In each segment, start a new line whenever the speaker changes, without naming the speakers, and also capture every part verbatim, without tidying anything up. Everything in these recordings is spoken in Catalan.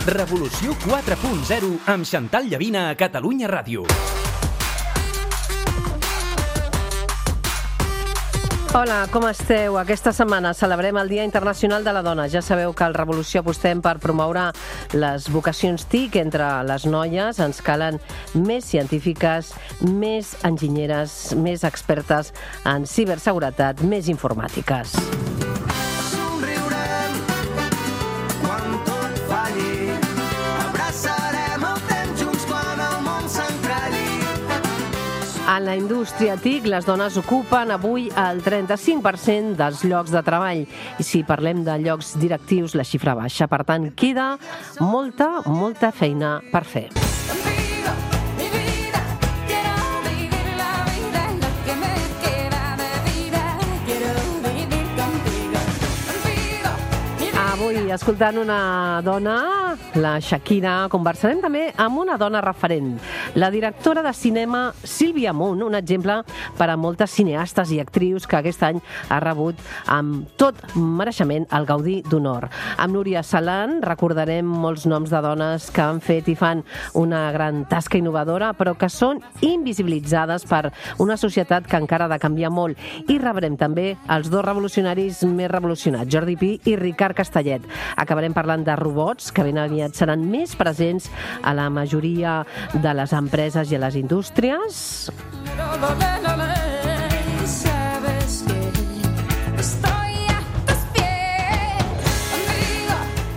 Revolució quatre punt zero amb Xantal Llavina a Catalunya Ràdio.
Hola, com esteu? Aquesta setmana celebrem el Dia Internacional de la Dona. Ja sabeu que al Revolució apostem per promoure les vocacions T I C entre les noies. Ens calen més científiques, més enginyeres, més expertes en ciberseguretat, més informàtiques. En la indústria T I C, les dones ocupen avui el trenta-cinc per cent dels llocs de treball. I si parlem de llocs directius, la xifra baixa. Per tant, queda molta, molta feina per fer. Avui, escoltant una dona, la Shakira, conversarem també amb una dona referent, la directora de cinema Sílvia Munt, un exemple per a moltes cineastes i actrius que aquest any ha rebut amb tot mereixement el Gaudí d'Honor. Amb Núria Salan recordarem molts noms de dones que han fet i fan una gran tasca innovadora, però que són invisibilitzades per una societat que encara ha de canviar molt. I rebrem també els dos revolucionaris més revolucionats, Jordi Pi i Ricard Castellet. Acabarem parlant de robots, que ben aviat seran més presents a la majoria de les empreses i a les indústries.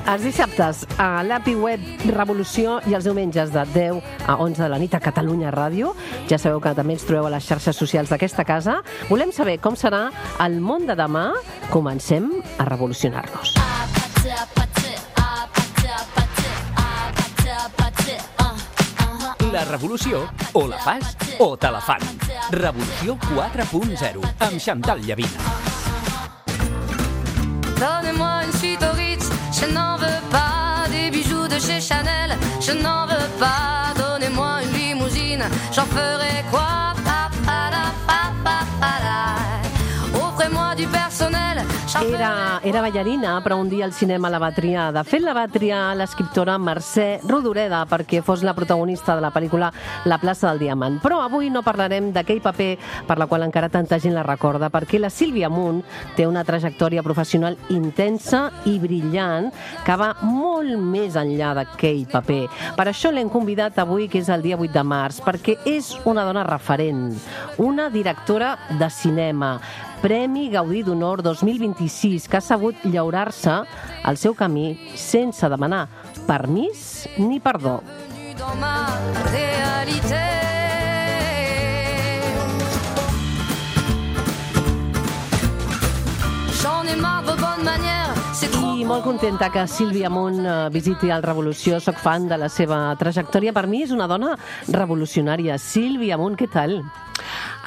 Els dissabtes a l'Api Web Revolució i els diumenges de deu a onze de la nit a Catalunya Ràdio. Ja sabeu que també ens trobeu a les xarxes socials d'aquesta casa. Volem saber com serà el món de demà. Comencem a revolucionar-nos.
La revolució, o la fas o te la fan. Revolució quatre punt zero amb Xantal Llavina.
Donnez-moi une suite au Ritz, je n'en veux pas des bijoux de chez Chanel, je n'en veux pas. Donnez-moi une limousine, j'en ferai quoi? Pa, pa, la, pa, pa, pa, la. Offrez-moi du personnel.
Era, era ballarina, però un dia el cinema la va triar. De fet, la va triar l'escriptora Mercè Rodoreda perquè fos la protagonista de la pel·lícula La plaça del Diamant. Però avui no parlarem d'aquell paper per la qual encara tanta gent la recorda, perquè la Sílvia Munt té una trajectòria professional intensa i brillant que va molt més enllà d'aquell paper. Per això l'hem convidat avui, que és el dia vuit de març, perquè és una dona referent, una directora de cinema, Premi Gaudí d'Honor dos mil vint-i-sis, que ha sabut llaurar-se el seu camí sense demanar permís ni perdó. I molt contenta que Sílvia Munt visiti el Revolució. Soc fan de la seva trajectòria. Per mi és una dona revolucionària. Sílvia Munt, què tal?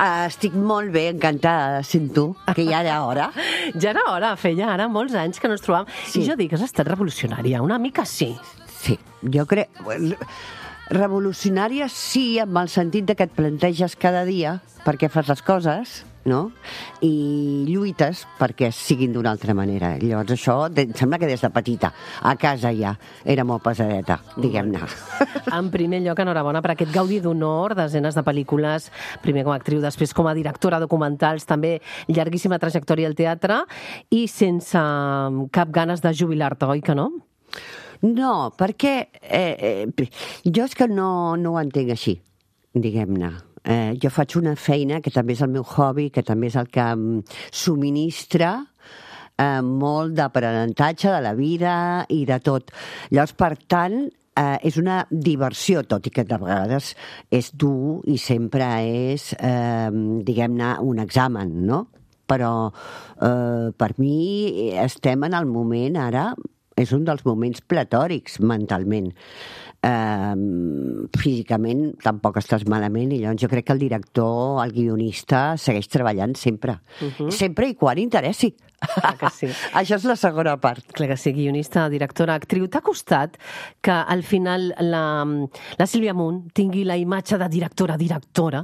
Uh, estic molt bé, encantada de ser tu, que ja era hora.
Ja era hora, feia ara molts anys que no ens trobàvem. Sí. I jo dic que has estat revolucionària, una mica sí.
Sí, jo crec... Revolucionària sí, amb el sentit de que et planteges cada dia per què fas les coses, no? I lluites perquè siguin d'una altra manera. Llavors això, em sembla que des de petita, a casa ja, era molt pesadeta, diguem-ne.
En primer lloc, enhorabona per aquest Gaudí d'Honor, desenes de pel·lícules, primer com a actriu, després com a directora documentals, també llarguíssima trajectòria al teatre, i sense cap ganes de jubilar-te, oi que no?
No, perquè eh, eh, jo és que no, no ho entenc així, diguem-ne. Eh, jo faig una feina que també és el meu hobby, que també és el que em subministra eh, molt d'aprenentatge de la vida i de tot. Llavors, per tant, eh, és una diversió, tot i que de vegades és dur i sempre és, eh, diguem-ne, un examen, no? Però eh, per mi estem en el moment ara... És un dels moments platòrics mentalment. Uh, físicament tampoc estàs malament i llavors jo crec que el director, el guionista, segueix treballant sempre. Uh-huh. Sempre i quan interessi.
Clar que sí.
Això és la segona part.
Clar que sí, guionista, directora, actriu. T'ha costat que al final la, la Sílvia Munt tingui la imatge de directora-directora?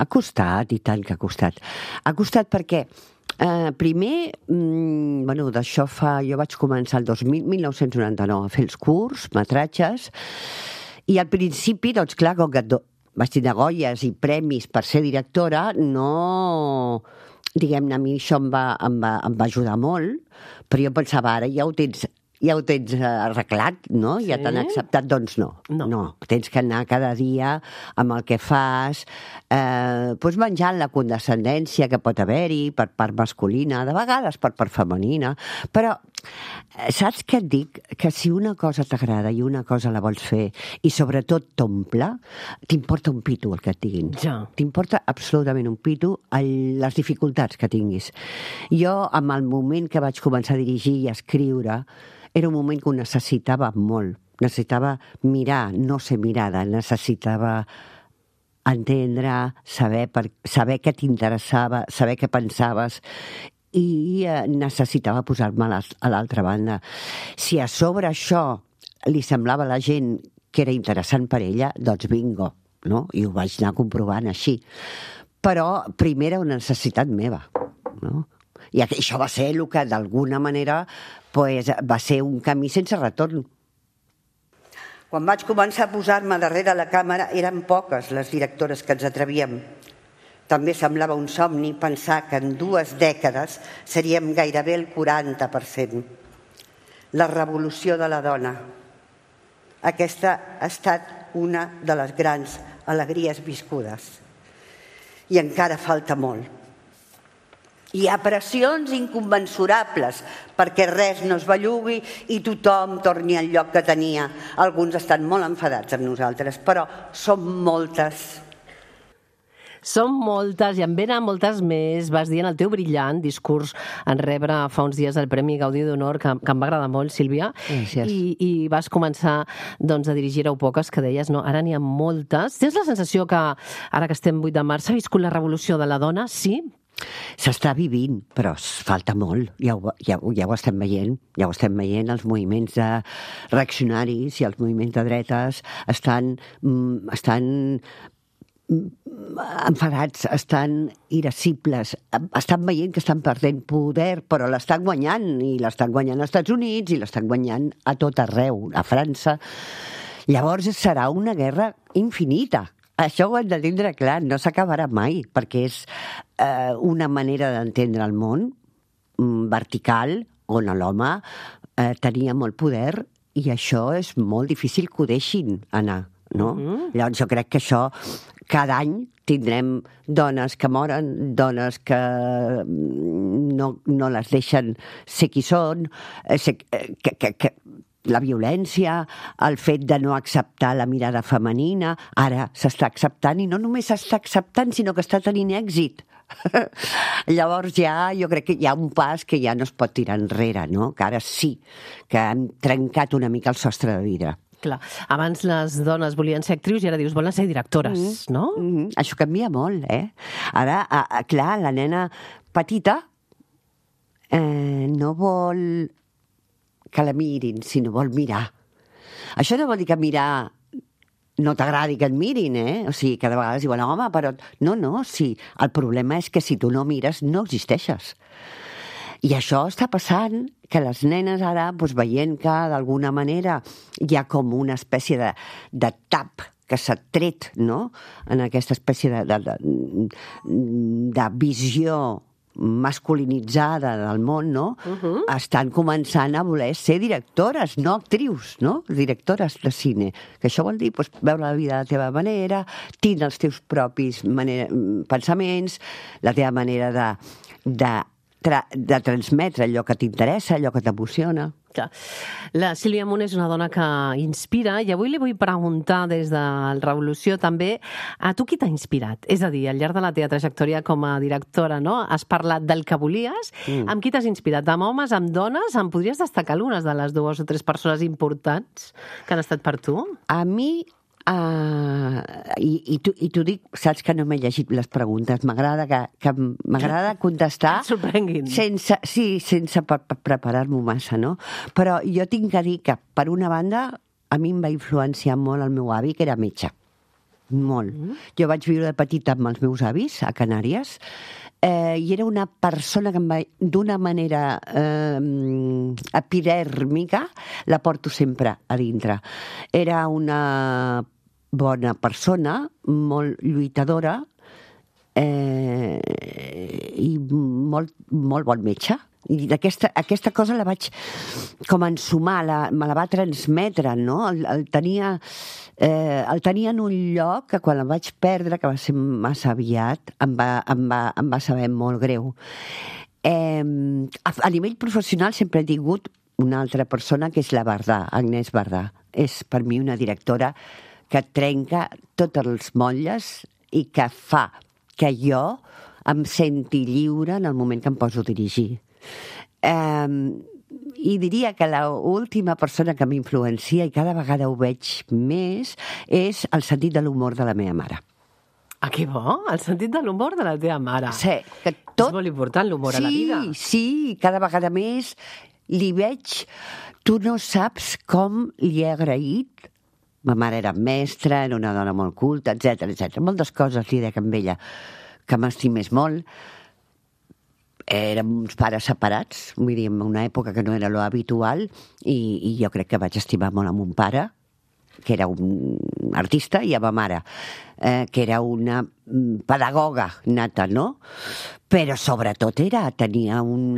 Ha costat, i tant que ha costat. Ha costat perquè Uh, primer, mm, bueno, d'això fa... Jo vaig començar el dos mil, mil nou-cents noranta-nou a fer els curs, metratges, i al principi, doncs clar, com que do, vaig tenir Goyes i premis per ser directora, no... Diguem-ne, a mi això em va, em, va, em va ajudar molt, però jo pensava, ara ja ho tens... ja ho tens arreglat, no? Sí? Ja t'han acceptat, doncs no.
no.
No, tens que anar cada dia amb el que fas, eh, doncs menjant la condescendència que pot haver-hi per part masculina, de vegades per part femenina, però saps què et dic? Que si una cosa t'agrada i una cosa la vols fer i sobretot t'omple, t'importa un pito el que et diguin.
Ja.
T'importa absolutament un pito el, les dificultats que tinguis. Jo, amb el moment que vaig començar a dirigir i a escriure, era un moment que ho necessitava molt. Necessitava mirar, no ser mirada, necessitava entendre, saber, per, saber què t'interessava, saber què pensaves, i eh, necessitava posar-me a l'altra banda. Si a sobre això li semblava a la gent que era interessant per ella, doncs bingo, no? I ho vaig anar comprovant així. Però primer era una necessitat meva, no? I això va ser el que d'alguna manera pues, va ser un camí sense retorn. Quan vaig començar a posar-me darrere la càmera eren poques les directores que ens atrevíem. També semblava un somni pensar que en dues dècades seríem gairebé el quaranta per cent. La revolució de la dona. Aquesta ha estat una de les grans alegries viscudes. I encara falta molt. Hi ha pressions inconmensurables perquè res no es bellugui i tothom torni al lloc que tenia. Alguns estan molt enfadats amb nosaltres, però són moltes.
Són moltes, i en venen moltes més. Vas dir en el teu brillant discurs en rebre fa uns dies el Premi Gaudí d'Honor, que, que em va agradar molt, Sílvia, i, i vas començar doncs, a dirigir-ho poques, que deies, no? Ara n'hi ha moltes. Tens la sensació que, ara que estem vuit de març, s'ha viscut la revolució de la dona? Sí?
S'està vivint, però falta molt. Ja ho, ja, ja ho estem veient. Ja ho estem veient. Els moviments de reaccionaris i els moviments de dretes estan... estan enfadats, estan irascibles, estan veient que estan perdent poder, però l'estan guanyant, i l'estan guanyant als Estats Units, i l'estan guanyant a tot arreu, a França. Llavors serà una guerra infinita. Això ho hem de tindre clar, no s'acabarà mai, perquè és eh, una manera d'entendre el món vertical, on l'home eh, tenia molt poder, i això és molt difícil que ho deixin anar, no? Mm-hmm. Llavors jo crec que això cada any tindrem dones que moren, dones que no, no les deixen ser qui són, que, que, que la violència, el fet de no acceptar la mirada femenina, ara s'està acceptant, i no només s'està acceptant, sinó que està tenint èxit. Llavors ja, jo crec que hi ha un pas que ja no es pot tirar enrere, no? Que ara sí, que hem trencat una mica el sostre de vidre.
Clar, abans les dones volien ser actrius i ara dius, volen ser directores, mm-hmm. no?
Mm-hmm. Això canvia molt, eh? Ara, a, a, clar, la nena petita eh, no vol que la mirin, sinó vol mirar. Això no vol dir que mirar no t'agradi que et mirin, eh? O sigui, que de vegades diuen, home, però... No, no, sí. El problema és que si tu no mires, no existeixes. I això està passant, que les nenes ara, doncs, veient que d'alguna manera hi ha com una espècie de, de tap que s'ha tret, no?, en aquesta espècie de, de, de, de visió masculinitzada del món, no?, uh-huh. Estan començant a voler ser directores, no actrius, no?, directores de cine. Que això vol dir, doncs, veure la vida de la teva manera, tindre els teus propis manera, pensaments, la teva manera de... de de transmetre allò que t'interessa, allò que t'emociona.
La Sílvia Amunt és una dona que inspira, i avui li vull preguntar des de la Revolució també a tu qui t'ha inspirat? És a dir, al llarg de la teva trajectòria com a directora, no? Has parlat del que volies. Mm. Amb qui t'has inspirat? Amb homes, amb dones? Em podries destacar algunes de les dues o tres persones importants que han estat per tu?
A mi... Uh, i, i t'ho dic, saps que no m'he llegit les preguntes, m'agrada que, que m'agrada contestar sense, sí, sense pre preparar-m'ho massa, no? Però jo tinc que dir que, per una banda, a mi em va influenciar molt el meu avi, que era metge. Molt. Mm. Jo vaig viure de petita amb els meus avis a Canàries, eh, i era una persona que em va, d'una manera eh, epidèrmica, la porto sempre a dintre. Era una bona persona, molt lluitadora, eh, i molt, molt bon metge. I aquesta, aquesta cosa la vaig com ensumar, la, me la va transmetre, no? El, el, tenia, eh, el tenia en un lloc que quan el vaig perdre, que va ser massa aviat, em va, em va, em va saber molt greu. Eh, a, a nivell professional sempre he tingut una altra persona que és la Bardà, Agnès Bardà. És per mi una directora que trenca totes les motlles i que fa que jo em senti lliure en el moment que em poso a dirigir. Eh, I diria que l'última persona que m'influencia, i cada vegada ho veig més, és el sentit de l'humor de la meva mare.
Ah, que bo, el sentit de l'humor de la teva mare.
Sí, que tot...
És molt important l'humor
sí,
a la vida.
Sí, cada vegada més li veig... Tu no saps com li he agraït. Ma mare era mestra, era una dona molt culta, etcètera, etcètera. Moltes coses li dec amb ella que m'estimés molt. Érem uns pares separats, vull dir, en una època que no era lo habitual, i, i jo crec que vaig estimar molt a mon pare, que era un artista, i a ma mare, eh, que era una pedagoga nata, no? Però sobretot era, tenia un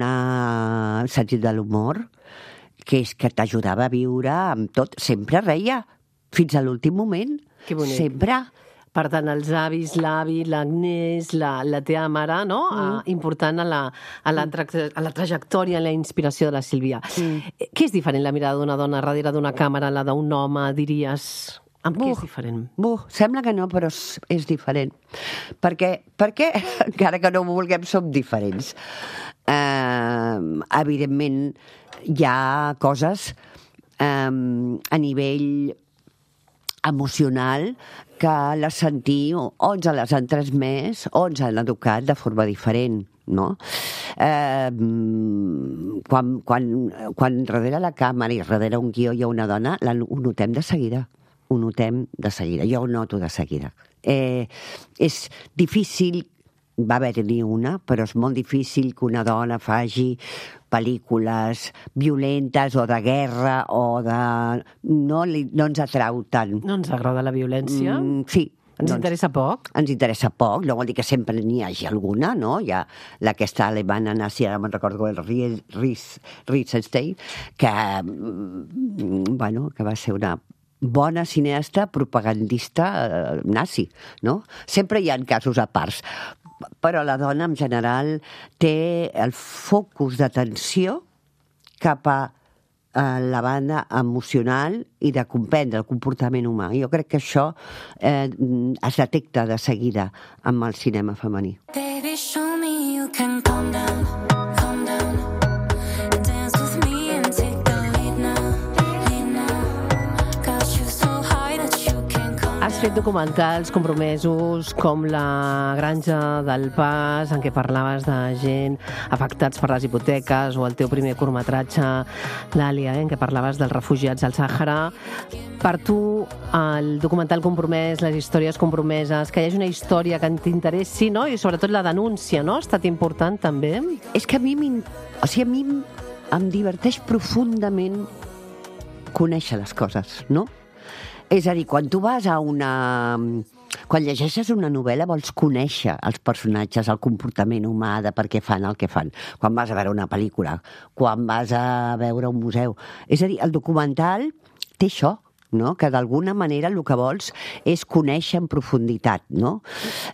sentit de l'humor que és que t'ajudava a viure amb tot. Sempre reia, fins a l'últim moment.
Que bonic.
Sempre.
Per tant, els avis, l'avi, l'Agnès, la, la teva mare, no? Mm. Ah, important a la, a, la tra a la trajectòria, a la inspiració de la Sílvia. Mm. Què és diferent la mirada d'una dona darrere d'una càmera, la d'un home, diries? Amb què és diferent?
Buh, sembla que no, però és, és diferent. Perquè, perquè, encara que no ho vulguem, som diferents. Eh, evidentment, hi ha coses eh, a nivell emocional que les sentir, o ens les han transmès, o ens han educat de forma diferent, no? Eh, quan, quan, quan darrere la càmera i darrere un guió hi ha una dona, la, ho notem de seguida. Ho notem de seguida. Jo ho noto de seguida. Eh, és difícil, va haver-n'hi una, però és molt difícil que una dona faci pel·lícules violentes o de guerra o de... No, li, no ens atrau tant.
No ens agrada la violència? Mm,
sí.
Ens doncs, interessa poc?
Ens interessa poc, no vol dir que sempre n'hi hagi alguna, no? Hi ha aquesta alemana nazi, ara me'n recordo, el Riesenstein, que, bueno, que va ser una bona cineasta propagandista eh, nazi, no? Sempre hi ha casos a parts. Però la dona, en general, té el focus d'atenció cap a la banda emocional i de comprendre el comportament humà. Jo crec que això eh, es detecta de seguida amb el cinema femení.
Baby, show me you can calm down, calm down. Dance with me and take the lead now, lead now. Got you so high that you can't calm down.
Has fet documentals compromesos com La granja del Pas, en què parlaves de gent afectats per les hipoteques, o el teu primer curtmetratge, l'Àlia, eh, en què parlaves dels refugiats al Sàhara. Per tu, el documental compromès, les històries compromeses, que hi hagi una història que t'interessi, no? I sobretot la denúncia, no? Ha estat important, també?
És que a mi, o sigui, a mi em diverteix profundament conèixer les coses, no? És a dir, quan tu vas a una... Quan llegeixes una novel·la vols conèixer els personatges, el comportament humà, de per què fan el que fan. Quan vas a veure una pel·lícula, quan vas a veure un museu. És a dir, el documental té això, no? Que d'alguna manera el que vols és conèixer en profunditat, no?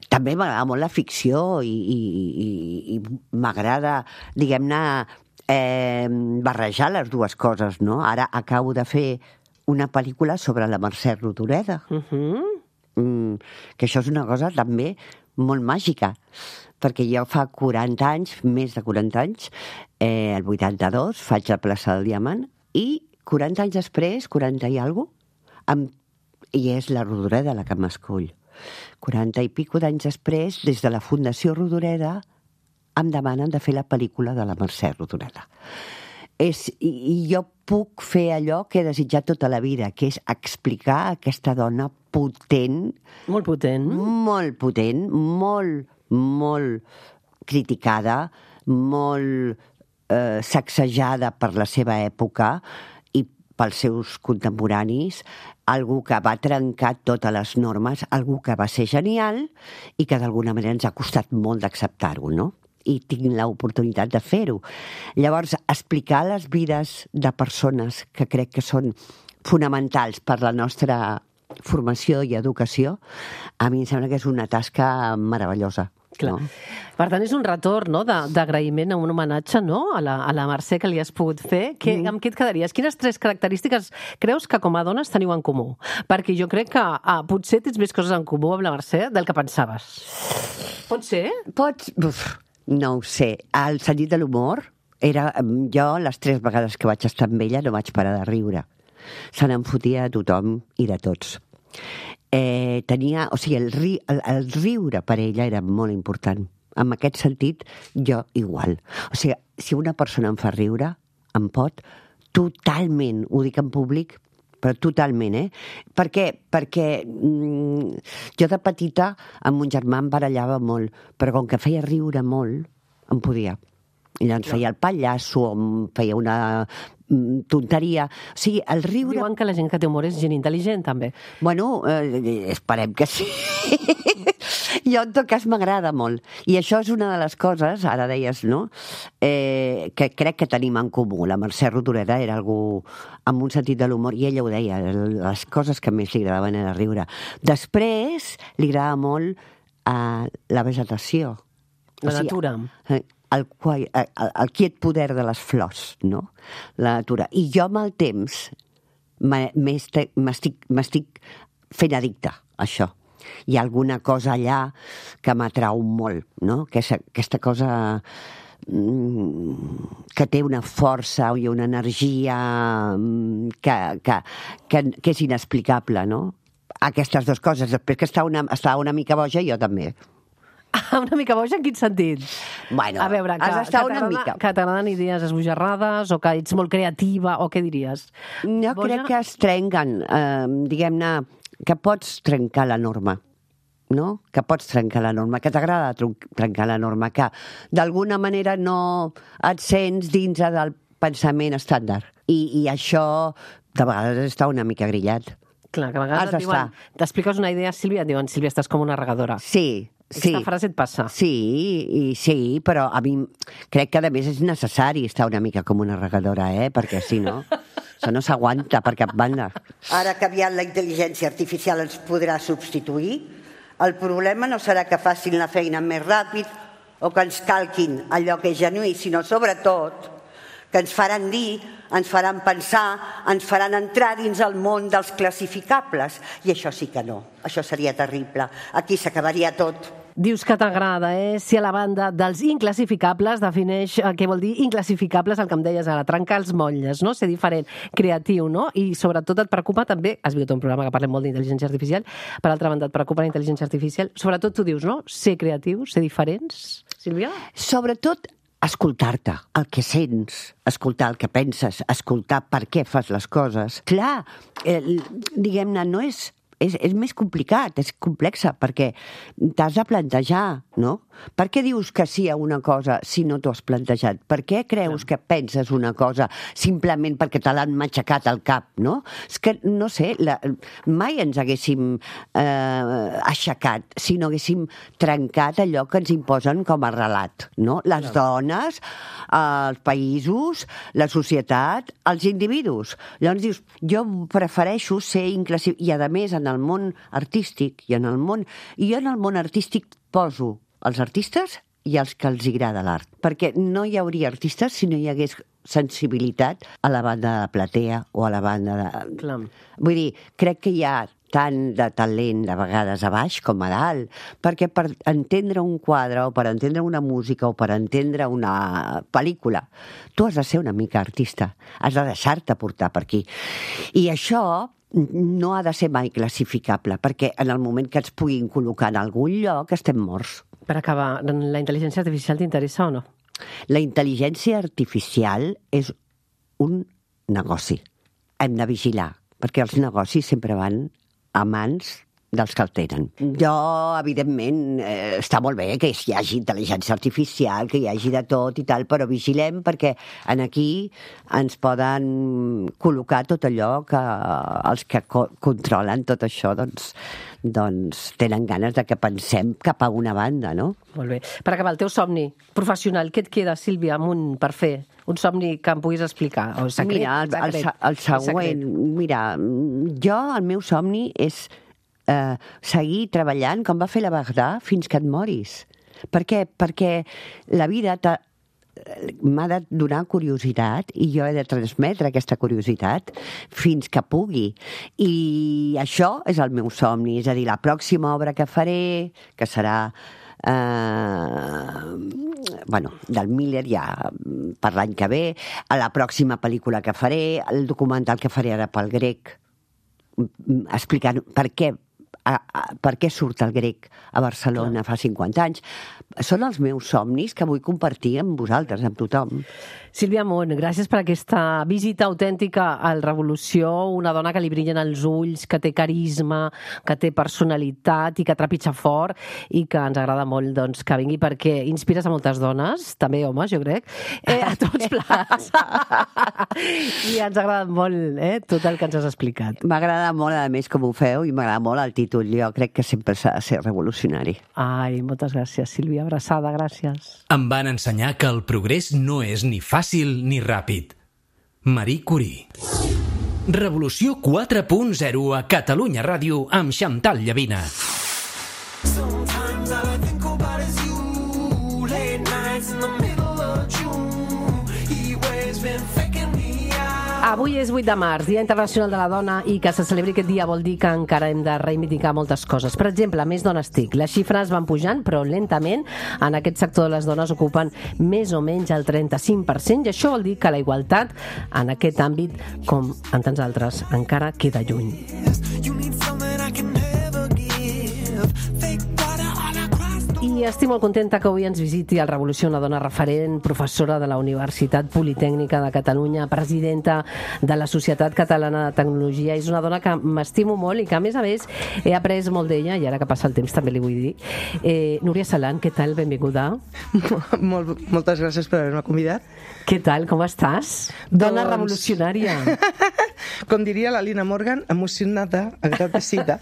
També m'agrada molt la ficció i, i, i, i m'agrada, diguem-ne, eh, barrejar les dues coses, no? Ara acabo de fer una pel·lícula sobre la Mercè Rodoreda. Uh-huh. mm, que això és una cosa també molt màgica, perquè jo fa quaranta anys, més de quaranta anys, eh, el vuitanta-dos, faig la plaça del Diamant, i quaranta anys després, quaranta i alguna cosa, amb... i és la Rodoreda la que m'escull. quaranta i pico d'anys després, des de la Fundació Rodoreda, em demanen de fer la pel·lícula de la Mercè Rodoreda. És, i, I jo puc fer allò que he desitjat tota la vida, que és explicar aquesta dona potent.
Molt potent.
Molt potent, molt, molt criticada, molt eh, sacsejada per la seva època i pels seus contemporanis, algú que va trencar totes les normes, algú que va ser genial i que d'alguna manera ens ha costat molt d'acceptar-ho, no? I tinc l'oportunitat de fer-ho. Llavors, explicar les vides de persones que crec que són fonamentals per la nostra formació i educació, a mi em sembla que és una tasca meravellosa.
Clar.
No?
Per tant, és un retorn, no?, de- d'agraïment, un homenatge, no?, a la, a la Mercè que li has pogut fer. Que, mm. Amb què et quedaries? Quines tres característiques creus que com a dones teniu en comú? Perquè jo crec que ah, potser tens més coses en comú amb la Mercè del que pensaves. Pot ser?
Pots... Uf, no ho sé. El sentit de l'humor era... Jo, les tres vegades que vaig estar amb ella, no vaig parar de riure. Se n'en fotia de tothom i de tots. Eh, tenia... O sigui, el, ri, el, el riure per ella era molt important. En aquest sentit, jo igual. O sigui, si una persona em fa riure, em pot totalment, ho dic en públic, però totalment, eh? Per què? Perquè mm, jo de petita amb mon germà em barallava molt, però com que feia riure molt, em podia. I llavors feia el pallasso, em feia una mm, tonteria. O sigui, el riure...
Diuen que la gent que té humor és gent intel·ligent, també.
Bueno, eh, esperem que sí. Jo, en tot cas, m'agrada molt. I això és una de les coses, ara deies, no?, eh, que crec que tenim en comú. La Mercè Rodoreda era algú amb un sentit de l'humor, i ella ho deia, les coses que més li agradaven era riure. Després, li agradava molt eh, la vegetació.
La natura.
Eh, el, el, el, el quiet poder de les flors, no?, la natura. I jo, amb el temps, m'estic m'estic fent addicte a això. Hi ha alguna cosa allà que m'atrau molt, no? Aquesta, aquesta cosa mm, que té una força i una energia mm, que, que, que, que és inexplicable, no? Aquestes dues coses. Després que està una, està una mica boja, jo també.
Ah, una mica boja, en quin sentit?
Bueno,
a veure, que,
has d'estar
que
una mica.
Que t'agraden idees esbojarrades o que ets molt creativa o què diries?
Jo
Boja?
crec que es trenquen, eh, diguem-ne, que pots trencar la norma, no? Que pots trencar la norma, que t'agrada trencar la norma, que d'alguna manera no et sents dins del pensament estàndard. I, i això de vegades està una mica grillat.
Clar, que a vegades
Has
et diuen, t'expliques una idea, Sílvia, et diuen, Sílvia, estàs com una regadora.
Sí, sí.
Aquesta frase et passa.
Sí, i sí, però a mi crec que a més és necessari estar una mica com una regadora, eh? Perquè si no, això no s'aguanta per cap banda.
Ara que aviat la intel·ligència artificial ens podrà substituir, el problema no serà que facin la feina més ràpid o que ens calquin allò que és genuí, sinó sobretot que ens faran dir, ens faran pensar, ens faran entrar dins el món dels classificables. I això sí que no, això seria terrible. Aquí s'acabaria tot.
Dius que t'agrada, eh? Si a la banda dels inclassificables defineix eh, què vol dir inclassificables, el que em deies ara, trencar els motlles, no? Ser diferent, creatiu, no? I sobretot et preocupa també, has vist un programa que parlem molt d'intel·ligència artificial, per altra banda et preocupa la intel·ligència artificial, sobretot tu dius, no? Ser creatius, ser diferents, Sílvia?
Sobretot escoltar-te, el que sents, escoltar el que penses, escoltar per què fas les coses. Clar, eh, diguem-ne, no és... És, és més complicat, és complexa, perquè t'has de plantejar, no? Per què dius que sí a una cosa si no t'ho has plantejat? Per què creus que penses una cosa simplement perquè te l'han matxacat al cap, no? És que, no sé, la, mai ens haguéssim eh, aixecat si no haguéssim trencat allò que ens imposen com a relat, no? Les no. dones, els països, la societat, els individus. Llavors dius, jo prefereixo ser inclassificat, i a més en el món artístic i en el món... I jo en el món artístic poso els artistes i els que els agrada l'art. Perquè no hi hauria artistes si no hi hagués sensibilitat a la banda de platea o a la banda de...
Clar.
Vull dir, crec que hi ha tant de talent de vegades a baix com a dalt, perquè per entendre un quadre o per entendre una música o per entendre una pel·lícula, tu has de ser una mica artista, has de deixar-te portar per aquí. I això no ha de ser mai classificable, perquè en el moment que ens puguin col·locar en algun lloc estem morts.
Per acabar, la intel·ligència artificial t'interessa o no?
La intel·ligència artificial és un negoci. Hem de vigilar, perquè els negocis sempre van a mans dels que el tenen. Jo, evidentment, eh, està molt bé que hi hagi intel·ligència artificial, que hi hagi de tot i tal, però vigilem perquè en aquí ens poden col·locar tot allò que els que co controlen tot això, doncs, doncs tenen ganes de que pensem cap a una banda, no?
Molt bé. Per acabar, el teu somni professional, què et queda, Sílvia Amunt, per fer? Un somni que em puguis explicar? O secret,
mira, el, el,
secret,
el següent, mira, jo, el meu somni és eh, seguir treballant com va fer la Bagdà fins que et moris. Per què? Perquè la vida m'ha de donar curiositat i jo he de transmetre aquesta curiositat fins que pugui. I això és el meu somni, és a dir, la pròxima obra que faré, que serà Uh, bueno, del Miller ja per l'any que ve, a la pròxima pel·lícula que faré, el documental que faré ara pel grec, explicant per què a, a, per què surt el grec a Barcelona fa cinquanta anys. Són els meus somnis que vull compartir amb vosaltres, amb tothom.
Sílvia Amunt, gràcies per aquesta visita autèntica al Revolució, una dona que li brillen els ulls, que té carisma, que té personalitat i que trepitja fort i que ens agrada molt doncs, que vingui perquè inspires a moltes dones, també homes, jo crec, eh, a tots plats. I ens agrada molt eh, tot el que ens has explicat.
M'agrada molt, a més, com ho feu, i m'agrada molt el títol. Jo crec que sempre s'ha de ser revolucionari.
Ai, moltes gràcies, Sílvia. Abraçada, gràcies.
Em van ensenyar que el progrés no és ni fàcil ni ràpid. Marie Curie. Revolució quatre punt zero a Catalunya Ràdio amb Chantal Llavina.
Avui és vuit de març, Dia Internacional de la Dona, i que se celebri aquest dia vol dir que encara hem de reivindicar moltes coses. Per exemple, més dones T I C. Les xifres van pujant, però lentament. En aquest sector les dones ocupen més o menys el trenta-cinc per cent, i això vol dir que la igualtat en aquest àmbit, com en tants altres, encara queda lluny. I estic molt contenta que avui ens visiti al Revolució una dona referent, professora de la Universitat Politècnica de Catalunya, presidenta de la Societat Catalana de Tecnologia. És una dona que m'estimo molt i que, a més a més, he après molt d'ella, i ara que passa el temps també li vull dir. Eh, Núria Salant, què tal? Benvinguda.
Molt, moltes gràcies per haver-me convidat.
Què tal? Com estàs? Dona
doncs...
revolucionària.
Com diria la Lina Morgan, emocionada, agradecida.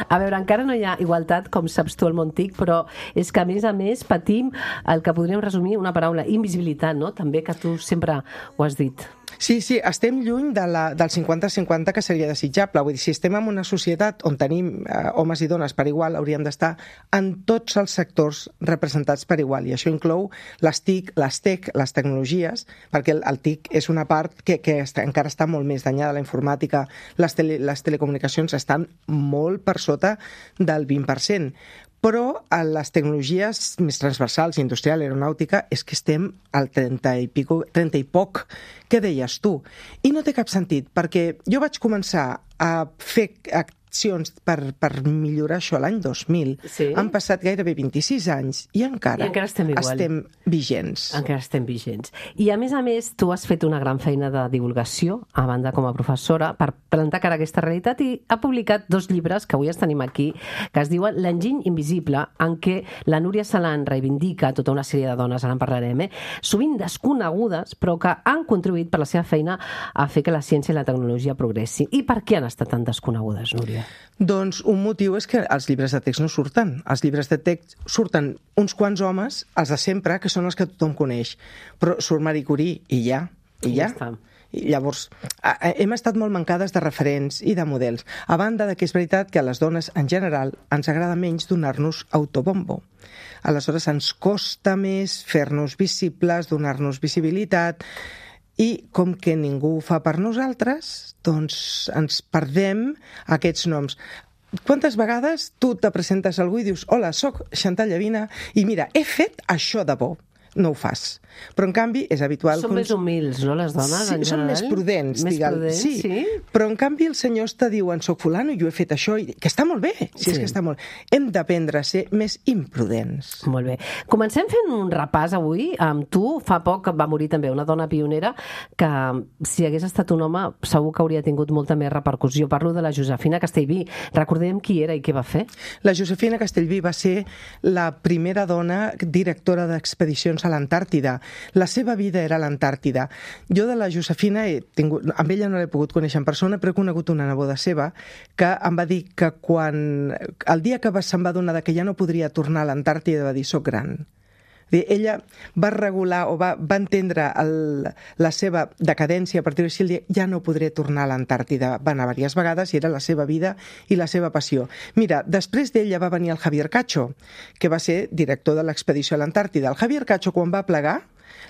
A veure, encara no hi ha igualtat, com saps tu, al món T I C, però és que, a més a més, patim el que podríem resumir una paraula, invisibilitat, no? També, que tu sempre ho has dit.
Sí, sí, estem lluny de la, del cinquanta cinquanta que seria desitjable. Vull dir, si estem en una societat on tenim eh, homes i dones per igual, hauríem d'estar en tots els sectors representats per igual. I això inclou les T I C, les tech, les tecnologies, perquè el, el T I C és una part que, que està, encara està molt més danyada. La informàtica, les, tele, les telecomunicacions estan molt per sota del vint per cent. Però a les tecnologies més transversals, industrial, aeronàutica, és que estem al trenta i, pico, trenta i poc que deies tu. I no té cap sentit, perquè jo vaig començar a fer accions per, per millorar això l'any dos mil.
Sí.
Han passat gairebé vint-i-sis anys i encara,
I encara estem,
estem vigents.
Encara estem vigents. I a més a més, tu has fet una gran feina de divulgació, a banda com a professora, per plantar cara a aquesta realitat, i ha publicat dos llibres que avui els tenim aquí, que es diuen L'enginy invisible, en què la Núria Salant reivindica tota una sèrie de dones, ara en parlarem, eh? sovint desconegudes, però que han contribuït per la seva feina a fer que la ciència i la tecnologia progressin. I per què han estat tan desconegudes, Núria?
Doncs un motiu és que els llibres de text no surten. Els llibres de text surten uns quants homes, els de sempre, que són els que tothom coneix. Però surt Marie Curie i ja, i ja.
ja està.
I llavors, hem estat molt mancades de referents i de models. A banda de que és veritat que a les dones, en general, ens agrada menys donar-nos autobombo. Aleshores, ens costa més fer-nos visibles, donar-nos visibilitat, i com que ningú ho fa per nosaltres, doncs ens perdem aquests noms. Quantes vegades tu te presentes a algú i dius «Hola, soc Chantal Llavina i mira, he fet això de bo». no ho fas. Però, en canvi, és habitual...
Són
que
més humils, no, les dones,
sí,
en
són
general?
més prudents,
més
diguem.
prudents,
sí.
sí.
Però, en canvi, els senyors te diuen soc fulano i jo he fet això, i... que està molt bé, si sí. és que està molt... Hem d'aprendre a ser més imprudents.
Molt bé. Comencem fent un repàs avui amb tu. Fa poc va morir també una dona pionera que, si hagués estat un home, segur que hauria tingut molta més repercussió. Parlo de la Josefina Castellví. Recordem qui era i què va fer?
La Josefina Castellví va ser la primera dona directora d'expedicions a l'Antàrtida. La seva vida era a l'Antàrtida. Jo de la Josefina, he tingut, amb ella no l'he pogut conèixer en persona, però he conegut una neboda seva que em va dir que quan, el dia que se'n va adonar que ja no podria tornar a l'Antàrtida, va dir, soc gran. Ella va regular o va, va entendre el, la seva decadència a partir de si ja no podré tornar a l'Antàrtida. Va anar diverses vegades i era la seva vida i la seva passió. Mira, després d'ella va venir el Javier Cacho, que va ser director de l'expedició a l'Antàrtida. El Javier Cacho, quan va plegar,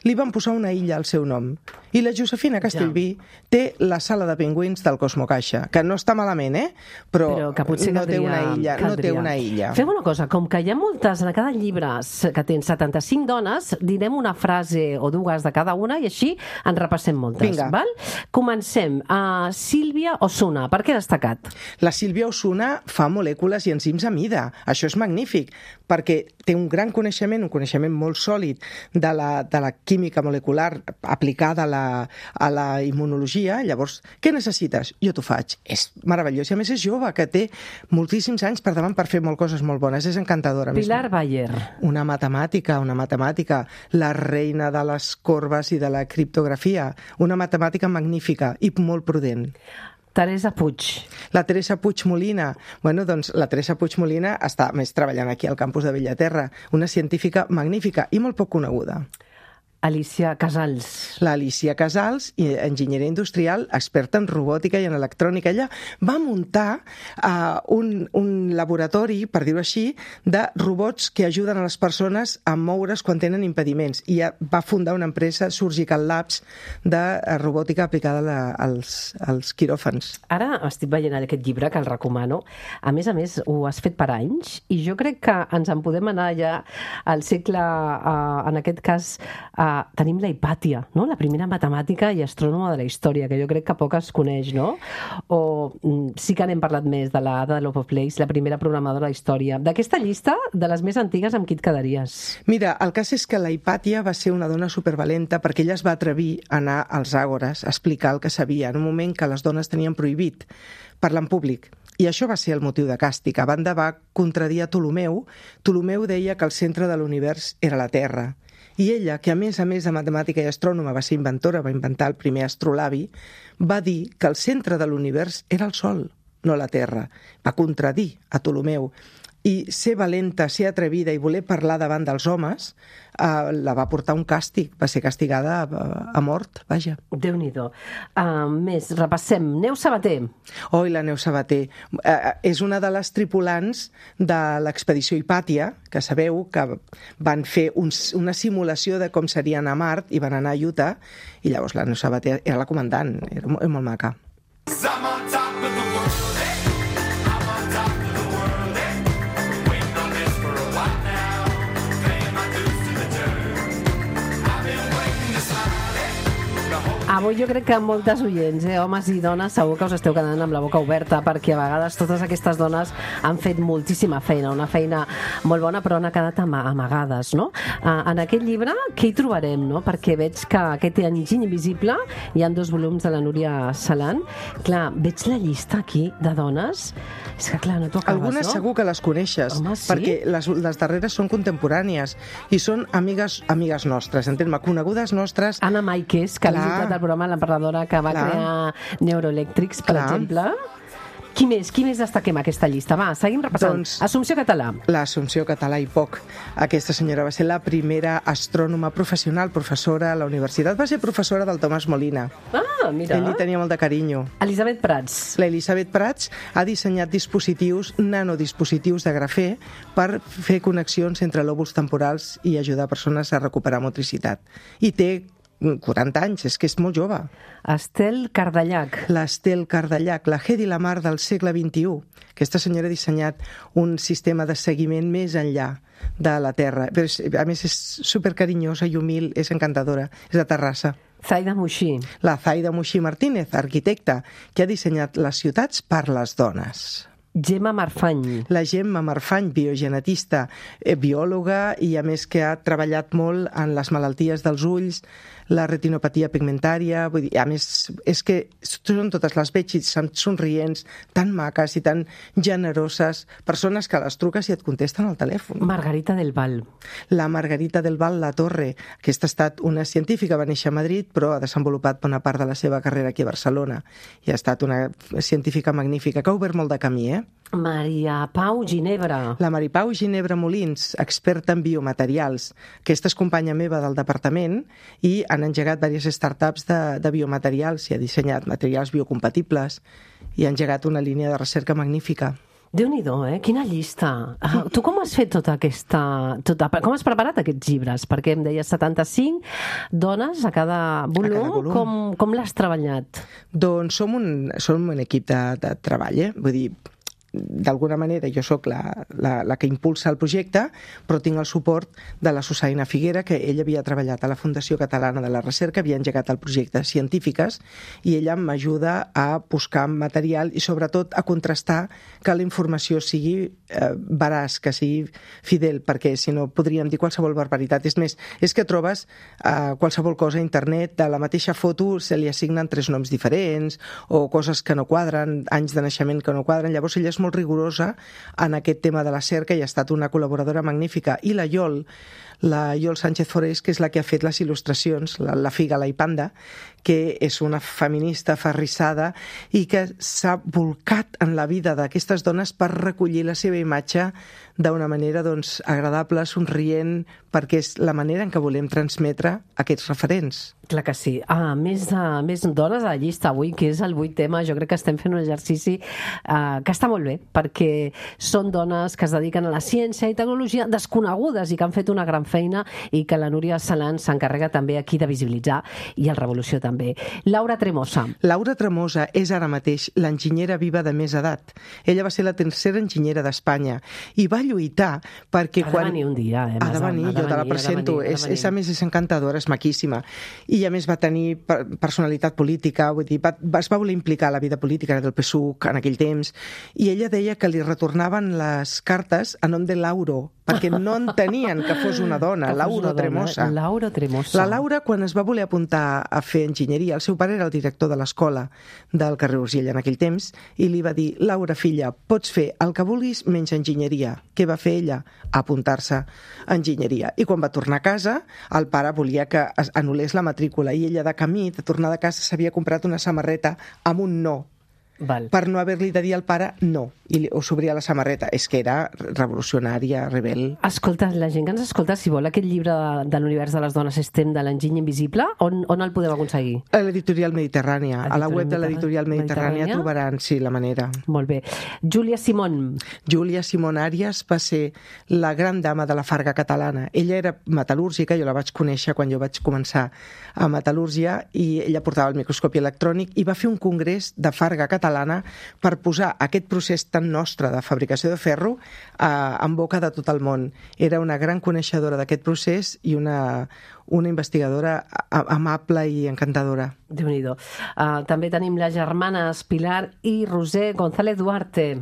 li van posar una illa al seu nom. I la Josefina Castellví ja. té la sala de pingüins del Cosmo Caixa, que no està malament, eh? Però,
Però que potser
no,
caldria,
té una illa, no té una illa.
Fem una cosa, com que hi ha moltes, en cada llibre que tens setanta-cinc dones, direm una frase o dues de cada una i així en repassem moltes.
Vinga.
Val? Comencem. Uh, Sílvia Osuna, per què destacat?
La Sílvia Osuna fa molècules i enzims a mida. Això és magnífic, perquè té un gran coneixement, un coneixement molt sòlid de la, de la química molecular aplicada a la, a la immunologia. Llavors, què necessites? Jo t'ho faig. És meravellós. I a més és jove, que té moltíssims anys per davant per fer molt coses molt bones. És encantadora.
Pilar Bayer.
Una matemàtica, una matemàtica, la reina de les corbes i de la criptografia. Una matemàtica magnífica i molt prudent.
Teresa Puig.
La Teresa Puig Molina. Bueno, doncs la Teresa Puig Molina està més treballant aquí al campus de Bellaterra. Una científica magnífica i molt poc coneguda.
Alicia Casals.
La Alicia Casals, enginyera industrial, experta en robòtica i en electrònica. Ella va muntar uh, un, un laboratori, per dir-ho així, de robots que ajuden a les persones a moure's quan tenen impediments. I va fundar una empresa, Surgical Labs, de robòtica aplicada la, als, als quiròfans.
Ara estic veient aquest llibre, que el recomano. A més a més, ho has fet per anys i jo crec que ens en podem anar ja al segle, uh, en aquest cas, uh, tenim la Hipàtia, no? La primera matemàtica i astrònoma de la història, que jo crec que poc es coneix, no? O mm, sí que n'hem parlat més, de la Ada Lovelace, la primera programadora de la història. D'aquesta llista, de les més antigues, amb qui et quedaries?
Mira, el cas és que la Hipàtia va ser una dona supervalenta perquè ella es va atrevir a anar als àgores a explicar el que sabia, en un moment que les dones tenien prohibit parlar en públic. I això va ser el motiu de càstig. A banda, va contradir a Ptolomeu. Ptolomeu deia que el centre de l'univers era la Terra. I ella, que a més a més de matemàtica i astrònoma va ser inventora, va inventar el primer astrolabi, va dir que el centre de l'univers era el Sol, no la Terra. Va contradir a Ptolomeu. I ser valenta, ser atrevida i voler parlar davant dels homes eh, la va portar un càstig. Va ser castigada a, a mort, vaja.
Déu-n'hi-do. Uh, més, repassem. Neus Sabater.
Oi, la Neus Sabater. Eh, és una de les tripulants de l'expedició Hipàtia, que sabeu que van fer un, una simulació de com serien a Mart i van anar a Utah, i llavors la Neus Sabater era la comandant, era molt, molt maca.
Avui jo crec que moltes oients, eh, homes i dones, segur que us esteu quedant amb la boca oberta, perquè a vegades totes aquestes dones han fet moltíssima feina, una feina molt bona, però han quedat amagades, no? En aquest llibre, què hi trobarem, no? Perquè veig que aquest Enginy Invisible hi ha dos volums de la Núria Salant. Clar, veig la llista aquí de dones, és que clar, no t'ho acabes,
Algunes
no?
segur que les coneixes,
Home, sí?
perquè les, les darreres són contemporànies i són amigues, amigues nostres, entén-me, conegudes nostres.
Anna Maikes, que ha
Clar.
visitat el programa, l'emprenedora que va
Clar.
crear Neuroelectrics, per
Clar.
exemple. Qui més? Qui més destaquem a aquesta llista? Va, seguim repassant.
Doncs-
Assumpció Català.
L'Assumpció Català i poc. Aquesta senyora va ser la primera astrònoma professional, professora a la universitat. Va ser professora del Tomàs Molina.
Ah, mira.
Ell li tenia molt de carinyo.
Elisabet Prats.
La Elisabet Prats ha dissenyat dispositius, nanodispositius de grafè per fer connexions entre lòbuls temporals i ajudar persones a recuperar motricitat. I té quaranta anys, és que és molt jove.
Estel Cardellac.
L'Estel Cardellac, la Hedy Lamarr del segle vint-i-u. Aquesta senyora ha dissenyat un sistema de seguiment més enllà de la Terra. Però, a més, és supercarinyosa i humil, és encantadora. És de Terrassa.
Zaida Muixí.
La Zaida Muixí Martínez, arquitecta, que ha dissenyat les ciutats per les dones.
Gemma Marfany.
La Gemma Marfany, biogenetista, eh, biòloga i a més que ha treballat molt en les malalties dels ulls, la retinopatia pigmentària, vull dir, a més, és que són totes les veig i són somrients, tan maques i tan generoses, persones que les truques i et contesten al telèfon.
Margarita del Val.
La Margarita del Val La Torre, aquesta ha estat una científica, va néixer a Madrid, però ha desenvolupat bona part de la seva carrera aquí a Barcelona i ha estat una científica magnífica, que ha obert molt de camí, eh?
Maria Pau Ginebra.
La Maria Pau Ginebra Molins, experta en biomaterials. Aquesta és companya meva del departament i han engegat diverses startups de, de biomaterials i ha dissenyat materials biocompatibles i ha engegat una línia de recerca magnífica.
Déu-n'hi-do, eh? Quina llista. Uh, tu com has fet tota aquesta... Tota, com has preparat aquests llibres? Perquè em deies setanta-cinc dones a cada volum. A cada volum. Com, com l'has treballat?
Doncs som un, som un equip de, de treball, eh? Vull dir, d'alguna manera jo sóc la, la, la que impulsa el projecte, però tinc el suport de la Susaina Figuera, que ella havia treballat a la Fundació Catalana de la Recerca, havia engegat el projecte Científiques, i ella m'ajuda a buscar material i sobretot a contrastar que la informació sigui eh, veraç, que sigui fidel, perquè si no podríem dir qualsevol barbaritat. És més, és que trobes eh, qualsevol cosa a internet, de la mateixa foto se li assignen tres noms diferents, o coses que no quadren, anys de naixement que no quadren. Llavors ella és molt rigorosa en aquest tema de la cerca i ha estat una col·laboradora magnífica. I la Iol, la Iol Sánchez Forés, que és la que ha fet les il·lustracions, la, la Figala i Panda, que és una feminista aferrissada i que s'ha volcat en la vida d'aquestes dones per recollir la seva imatge d'una manera doncs, agradable, somrient, perquè és la manera en què volem transmetre aquests referents.
Clar que sí. Ah, més, uh, més dones a la llista avui, que és el vuit tema. Jo crec que estem fent un exercici uh, que està molt bé, perquè són dones que es dediquen a la ciència i tecnologia desconegudes i que han fet una gran feina i que la Núria Salant s'encarrega també aquí de visibilitzar, i el Revolució també. Laura Tremosa.
Laura Tremosa és ara mateix l'enginyera viva de més edat. Ella va ser la tercera enginyera d'Espanya i va lluitar perquè
ha
quan...
Ha de venir un dia, eh?
Ha de venir, jo te la presento. És, és, a més, és encantadora, és maquíssima. I a més va tenir personalitat política, vull dir, va, es va voler implicar a la vida política del P S U C en aquell temps, i ella deia que li retornaven les cartes a nom de Lauro, perquè no entenien que fos una dona, Laura Tremosa.
Laura Tremosa.
La Laura, quan es va voler apuntar a fer enginyeria, el seu pare era el director de l'escola del carrer Urgell en aquell temps, i li va dir: Laura, filla, pots fer el que vulguis menys enginyeria. Què va fer ella? Apuntar-se a enginyeria. I quan va tornar a casa, el pare volia que es anul·lés la matrícula, i ella de camí, de tornar de casa, s'havia comprat una samarreta amb un no. Val. Per no haver-li de dir al pare no, i o s'obria la samarreta. És que era revolucionària, rebel.
Escolta, la gent que ens escolta, si vol aquest llibre de, de l'univers de les dones STEM de l'enginy invisible, on, on el podem aconseguir?
A l'editorial Mediterrània. A la web de l'editorial Mediterrània, Mediterrània trobaran, sí, la manera.
Molt bé. Júlia Simón.
Júlia Simón Àries va ser la gran dama de la farga catalana. Ella era metal·lúrgica, jo la vaig conèixer quan jo vaig començar a metal·lúrgia, i ella portava el microscopi electrònic i va fer un congrés de farga catalana per posar aquest procés tan nostre de fabricació de ferro eh, en boca de tot el món. Era una gran coneixedora d'aquest procés i una, una investigadora amable i encantadora.
Déu-n'hi-do. Uh, també tenim les germanes Pilar i Roser González Duarte.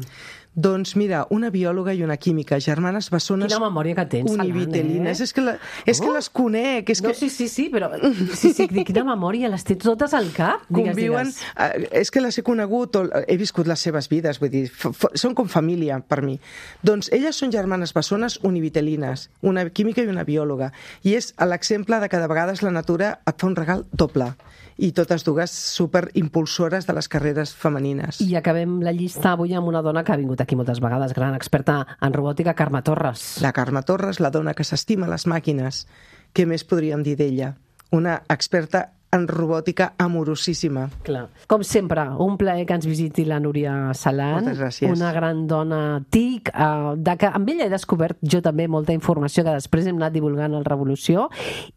Doncs mira, una biòloga i una química, germanes bessones...
Quina memòria que tens,
univitelines. Eh? És que, la, és que oh. les conec. És
no,
que...
sí, sí, sí, però sí, sí, quina memòria, les tens totes al cap? Digues,
Conviuen,
digues.
Uh, és que les he conegut, o, he viscut les seves vides, vull dir, f f són com família per mi. Doncs elles són germanes bessones univitelines, una química i una biòloga, i és l'exemple de que de vegades la natura et fa un regal doble, i totes dues superimpulsores de les carreres femenines.
I acabem la llista avui amb una dona que ha vingut aquí moltes vegades, gran experta en robòtica, Carme Torres.
La Carme Torres, la dona que s'estima les màquines. Què més podríem dir d'ella? Una experta en robòtica amorosíssima.
Clar. Com sempre, un plaer que ens visiti la Núria Salant.
Moltes gràcies.
Una gran dona tic, eh, de que amb ella he descobert jo també molta informació que després hem anat divulgant al Revolució,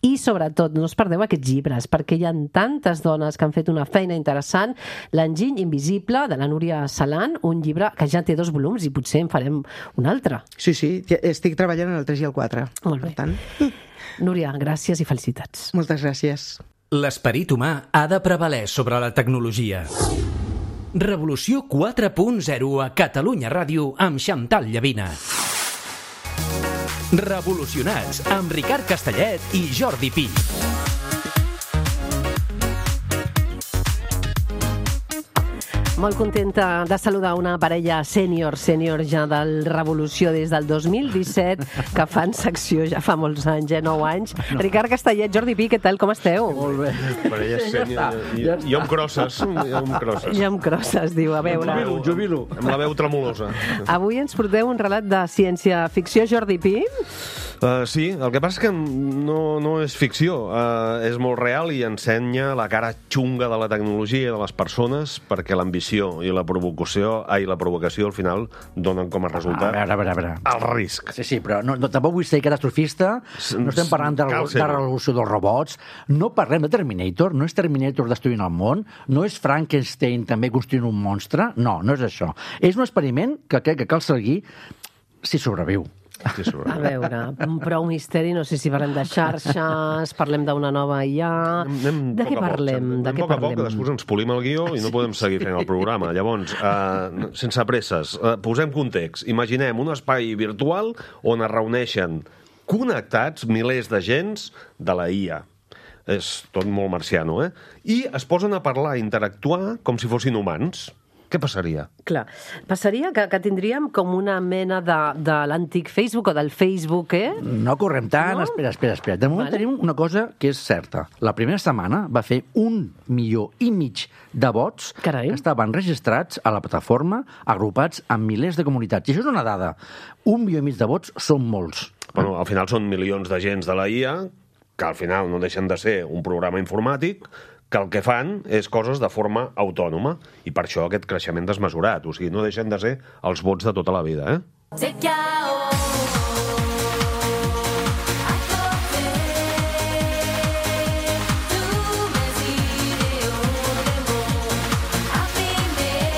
i sobretot no us perdeu aquests llibres, perquè hi ha tantes dones que han fet una feina interessant. L'enginy invisible, de la Núria Salant, un llibre que ja té dos volums i potser en farem un altre.
Sí, sí, estic treballant en el tres i el quatre.
Molt bé.
Per tant,
Núria, gràcies i felicitats.
moltes gràcies.
L'esperit humà ha de prevaler sobre la tecnologia. Revolució quatre punt zero a Catalunya Ràdio amb Xantal Llavina. Revolucionats amb Ricard Castellet i Jordi Pi.
Molt contenta de saludar una parella sènior, sènior ja del Revolució des del dos mil disset, que fan secció ja fa molts anys, eh, nou anys. No. Ricard Castellet, Jordi Pi, què tal, com esteu?
Molt bé. Parella sènior. I, i amb crosses. I amb crosses.
I amb crosses, diu, a veure.
Jubilo, jubilo. Amb la veu tremolosa.
Avui ens porteu un relat de ciència-ficció, Jordi Pi?
Uh, sí, el que passa és que no, no és ficció, uh, és molt real i ensenya la cara xunga de la tecnologia i de les persones, perquè l'ambició i la provocació, ai, la provocació al final donen com a resultat
a veure, a veure, a veure.
el risc.
Sí, sí, però no, no, tampoc vull ser catastrofista, no estem parlant de,
Cal
de
ser-ho.
revolució dels robots, no parlem de Terminator, no és Terminator destruint el món, no és Frankenstein també construint un monstre, no, no és això. És un experiment que crec que cal seguir si sobreviu.
Sí,
A veure, prou misteri, no sé si parlem de xarxes, parlem d'una nova I A...
Anem
De què
poc a poc,
parlem?
anem
De què
poc a poc, que
parlem?
després ens polim el guió i no podem seguir fent el programa. Llavors, uh, sense presses, uh, posem context. Imaginem un espai virtual on es reuneixen connectats milers d'agents de la I A. És tot molt marciano, eh? I es posen a parlar, a interactuar com si fossin humans. Què passaria?
Clar, passaria que, que tindríem com una mena de, de l'antic Facebook o del Facebook, eh?
No correm tant,
No?
espera, espera, espera. De moment
Vale.
tenim una cosa que és certa. La primera setmana va fer un milió i mig de vots
Carai.
que estaven registrats a la plataforma, agrupats en milers de comunitats. I això és una dada. Un milió i mig de vots són molts.
Bueno, al final són milions d'agents de la I A que al final no deixen de ser un programa informàtic que el que fan és coses de forma autònoma i per això aquest creixement desmesurat. O sigui, no deixen de ser els vots de tota la vida, eh?
C'est chaos. À côté, tous mes idéaux, des mots abîmés.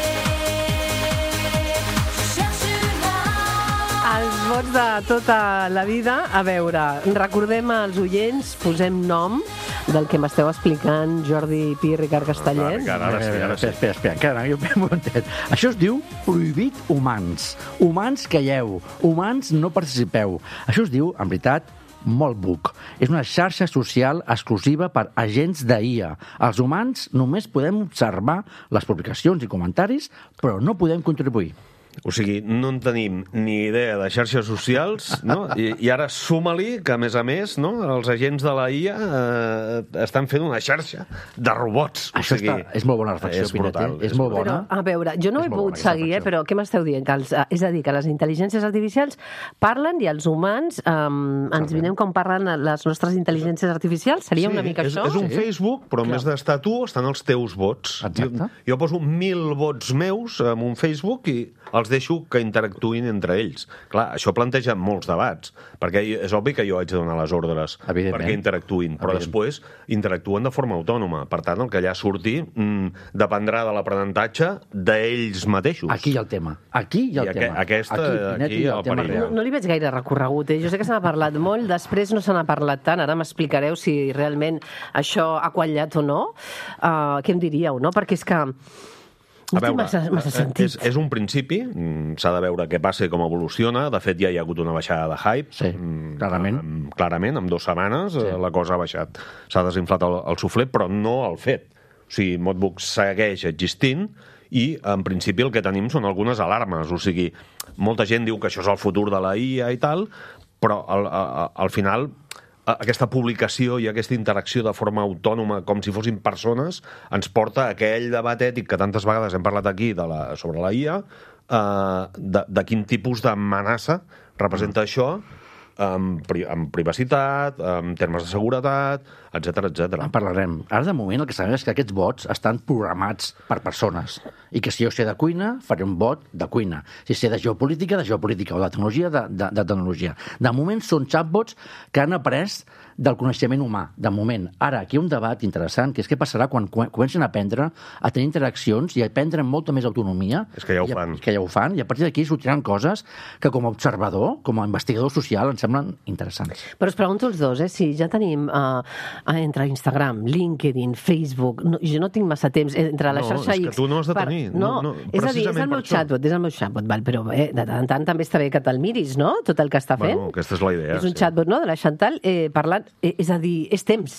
Je cherche une âme.
Els vots de tota la vida. A veure, recordem als oients, posem nom del que m'esteu explicant, Jordi Pi, Ricard Castellet.
Ricard, ara sí, ara sí.
Espera, espera, espera, encara, jo m'he muntat. Això es diu prohibit humans. Humans calleu, humans no participeu. Això es diu, en veritat, Moltbook. És una xarxa social exclusiva per agents de I A. Els humans només podem observar les publicacions i comentaris, però no podem contribuir.
O sigui, no en tenim ni idea de xarxes socials, no? I, i ara suma-li que, a més a més, no? els agents de la I A eh, estan fent una xarxa de robots.
Això
o sigui,
està, és molt bona reflexió,
és
Pinet,
brutal,
eh? és molt bona.
Però, a veure, jo no
És
he
molt
pogut
bona aquesta
seguir, eh,
reflexió.
però què m'esteu dient? Que els, és a dir, que les intel·ligències artificials parlen i els humans um, ens vinem com parlen les nostres intel·ligències artificials? Seria una mica
és,
això?
és un
Sí.
Facebook, però en vez d'estar tu, estan els teus vots.
Exacte.
Jo, jo poso mil vots meus en un Facebook i els deixo que interactuïn entre ells. Clar, això planteja molts debats, perquè és obvi que jo haig de donar les ordres
Evidentment.
perquè interactuïn, però
Evident.
després interactuen de forma autònoma. Per tant, el que allà surti mm, dependrà de l'aprenentatge d'ells mateixos.
Aquí hi ha el tema. Aquí hi ha
I
el
aque-
tema.
aquesta-
Pinet,
aquí
hi ha
el
el tema
perill.
No,
real.
no li veig gaire recorregut, eh? Jo sé que se n'ha parlat molt, després no se n'ha parlat tant, ara m'explicareu si realment això ha quallat o no. Uh, què em diríeu, no? Perquè és que no té massa, massa sentit.
és, és un principi, mm, s'ha de veure què passa i com evoluciona. De fet, ja hi ha hagut una baixada de hype.
Sí,
Mm,
clarament.
mm, Clarament, en dues setmanes
Sí.
sí. la cosa ha baixat. S'ha desinflat el, el suflet, però no el fet. O sigui, Modbook segueix existint i, en principi, el que tenim són algunes alarmes. O sigui, molta gent diu que això és el futur de la I A i tal, però al, al, al final aquesta publicació i aquesta interacció de forma autònoma, com si fossin persones, ens porta a aquell debat ètic que tantes vegades hem parlat aquí de la, sobre la I A, eh, de, de quin tipus d'amenaça representa mm. això amb, pri amb privacitat, amb termes de seguretat, etcètera, etcètera.
En parlarem. Ara, de moment, el que sabem és que aquests bots estan programats per persones i que si jo sé de cuina, faré un bot de cuina. Si sé de geopolítica, de geopolítica, o de tecnologia, de, de, de tecnologia. De moment, són chatbots que han après del coneixement humà, de moment. Ara, aquí hi ha un debat interessant, que és què passarà quan comencen a aprendre a tenir interaccions i a prendre amb molta més autonomia.
És que ja ho
i a,
fan.
Que ja ho fan, i a partir d'aquí sortiran coses que com a observador, com a investigador social, ens semblen interessants.
Però us pregunto els dos, eh, si ja tenim uh, entre Instagram, LinkedIn, Facebook, no, jo no tinc massa temps, entre la
No,
xarxa
és que
X...
tu no has de tenir.
No,
No, no,
és a dir, és el
precisament
meu
per això.
chatbot, és el meu chatbot, val, però eh, de tant en tant també està bé que te'l miris, no?, tot el que està fent.
Bueno, aquesta és la idea,
És un
sí.
chatbot, no?, de la Chantal, eh, parlant, eh, és a dir, és temps.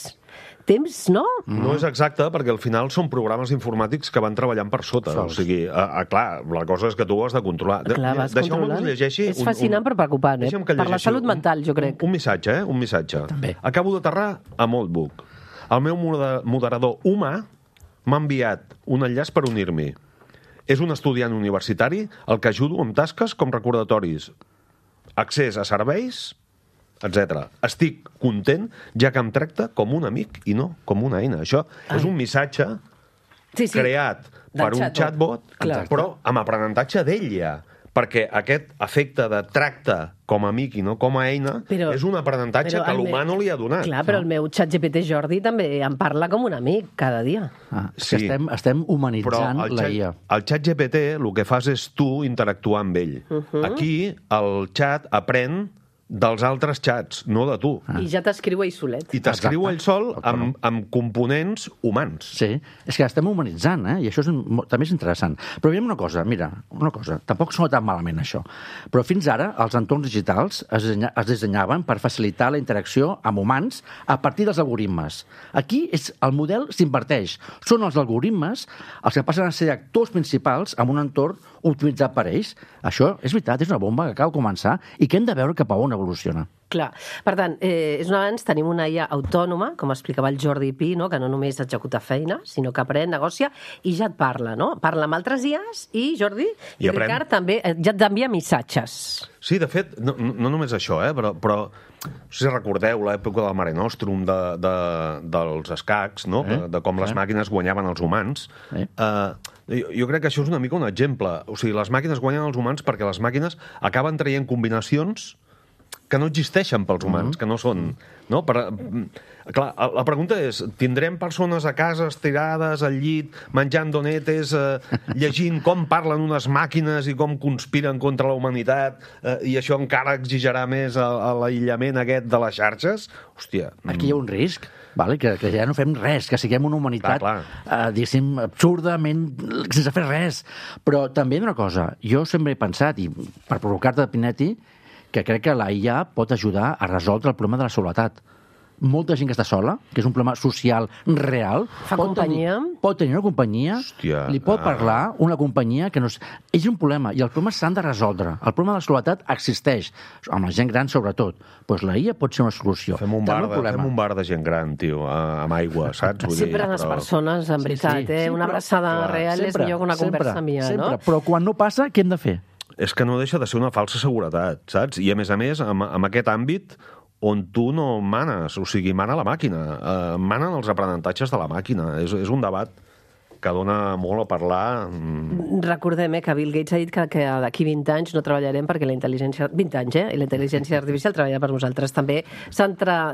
Temps, no?
No és exacte, perquè al final són programes informàtics que van treballant per sota.
Sols.
O sigui, a, a, clar, la cosa és que tu ho has de controlar. De-
Clar, vas
Deixeu-me que us
controlant.
llegeixi...
És fascinant però preocupant, eh?
Deixa'm que
Per la
llegeixi
salut mental, jo crec.
Un, un missatge, eh? Un missatge.
També.
Acabo d'aterrar a Moltbook. El meu moder- moderador humà m'ha enviat un enllaç per unir-m'hi. És un estudiant universitari al que ajudo amb tasques com recordatoris, accés a serveis, etcètera. Estic content, ja que em tracta com un amic i no com una eina. Això
Ai.
és un missatge
Sí, sí.
creat
Del
per un
chatbot.
chatbot,
Clar.
però amb aprenentatge d'ella, perquè aquest efecte de tracte com a amic i no com a eina
Però-
és un aprenentatge
però
que
el
l'humà
meu-
no li ha donat.
Clar, però el meu ChatGPT Jordi també em parla com un amic cada dia.
Ah, és
Sí.
que estem, estem
Però
humanitzant
el
la
xat,
I A.
el xat G P T el que fas és tu interactuar amb ell.
Uh-huh.
Aquí el xat aprèn dels altres xats, no de tu.
Ah.
I ja t'escriu ell solet.
I t'escriu
Exacte.
ell sol
Autònom.
amb, amb components humans.
Sí, és que estem humanitzant, eh? I això és, mo- també és interessant. Però veiem una cosa, mira, una cosa, tampoc sona tan malament això, però fins ara els entorns digitals es, dissenya, es dissenyaven per facilitar la interacció amb humans a partir dels algoritmes. Aquí és, el model s'inverteix. Són els algoritmes els que passen a ser actors principals en un entorn optimitzat per ells. Això és veritat, és una bomba que acaba de començar i que hem de veure cap a on evoluciona.
Clar. Per tant, eh, és un avanç, tenim una I A autònoma, com explicava el Jordi Pi, no? Que no només executa feina, sinó que aprèn, negocia i ja et parla, no? Parla amb altres I As i Jordi i,
I aprèn.
Ricard també eh, ja t'envia missatges.
Sí, de fet, no, no no només això, eh, però, però no sé si recordeu l'època del Mare Nostrum, de, de, dels escacs, no?
Eh?
de, de com les
Eh?
màquines guanyaven els humans.
Eh?
Uh, jo, jo crec que això és una mica un exemple. O sigui, les màquines guanyen els humans perquè les màquines acaben traient combinacions que no existeixen pels humans, mm-hmm. que no són... No? Per, clar, la pregunta és, tindrem persones a casa estirades al llit, menjant donetes, eh, llegint com parlen unes màquines i com conspiren contra la humanitat, eh, i això encara exigirà més a, a l'aïllament aquest de les xarxes? Hòstia...
Aquí hi ha un risc, vale? que, que ja no fem res, que siguem una humanitat,
Clar,
eh, diguéssim, absurdament, sense fer res. Però també una cosa, jo sempre he pensat, i per provocar-te, Pinetti, que crec que la I A pot ajudar a resoldre el problema de la soledat. Molta gent que està sola, que és un problema social real,
Fa
pot
companyia.
tenir, pot tenir una companyia,
Hòstia,
li pot
ah.
parlar una companyia que no és... És un problema, i els problemes s'han de resoldre. El problema de la soledat existeix, amb la gent gran sobretot. Doncs la I A pot ser una solució.
Fem un,
També
bar de,
problema.
fem un bar de gent gran, tio, a- amb aigua, saps? Vull
Sempre
dir,
les
però-
persones, en veritat,
Sí, sí,
eh?
sí,
Una
però-
abraçada
clar,
real és millor que una
sempre,
conversa mia,
sempre.
no?
Però quan no passa, què hem de fer?
És que no deixa de ser una falsa seguretat, saps? I, a més a més, amb, amb aquest àmbit on tu no manes, o sigui, mana la màquina, eh, manen els aprenentatges de la màquina. És, és un debat que dona molt a parlar. mm,
Recordem eh, que Bill Gates ha dit que, que d'aquí vint anys no treballarem perquè la intel·ligència... vint anys, eh? I la intel·ligència artificial treballa per nosaltres. També,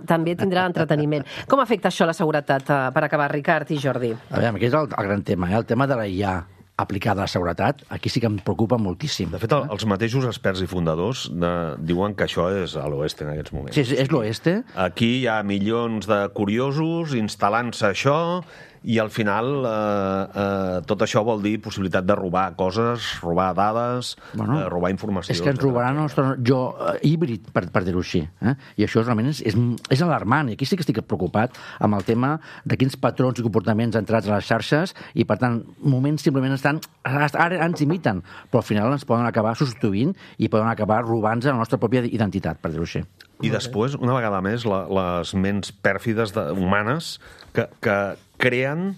també tindrà entreteniment. Com afecta això la seguretat, eh, per acabar, Ricard i Jordi?
A veure, aquest és el, el gran tema, eh? El tema de la I A aplicada a la seguretat, aquí sí que em preocupa moltíssim.
De fet, el, els mateixos experts i fundadors de, diuen que això és a l'oeste en aquests moments.
Sí, és, és l'oeste.
Aquí hi ha milions de curiosos instal·lant-se això i al final eh, eh, tot això vol dir possibilitat de robar coses, robar dades,
Bueno,
eh, robar informació.
És que ens robaran el nostre jo eh, híbrid, per, per dir-ho així. Eh? I això realment és, és, és alarmant. I aquí sí que estic preocupat amb el tema de quins patrons i comportaments entrats a les xarxes i, per tant, moments simplement estan... Ara ens imiten, però al final ens poden acabar substituint i poden acabar robant-nos la nostra pròpia identitat, per dir-ho així.
I després, una vegada més, la, les ments pèrfides de, humanes que, que creen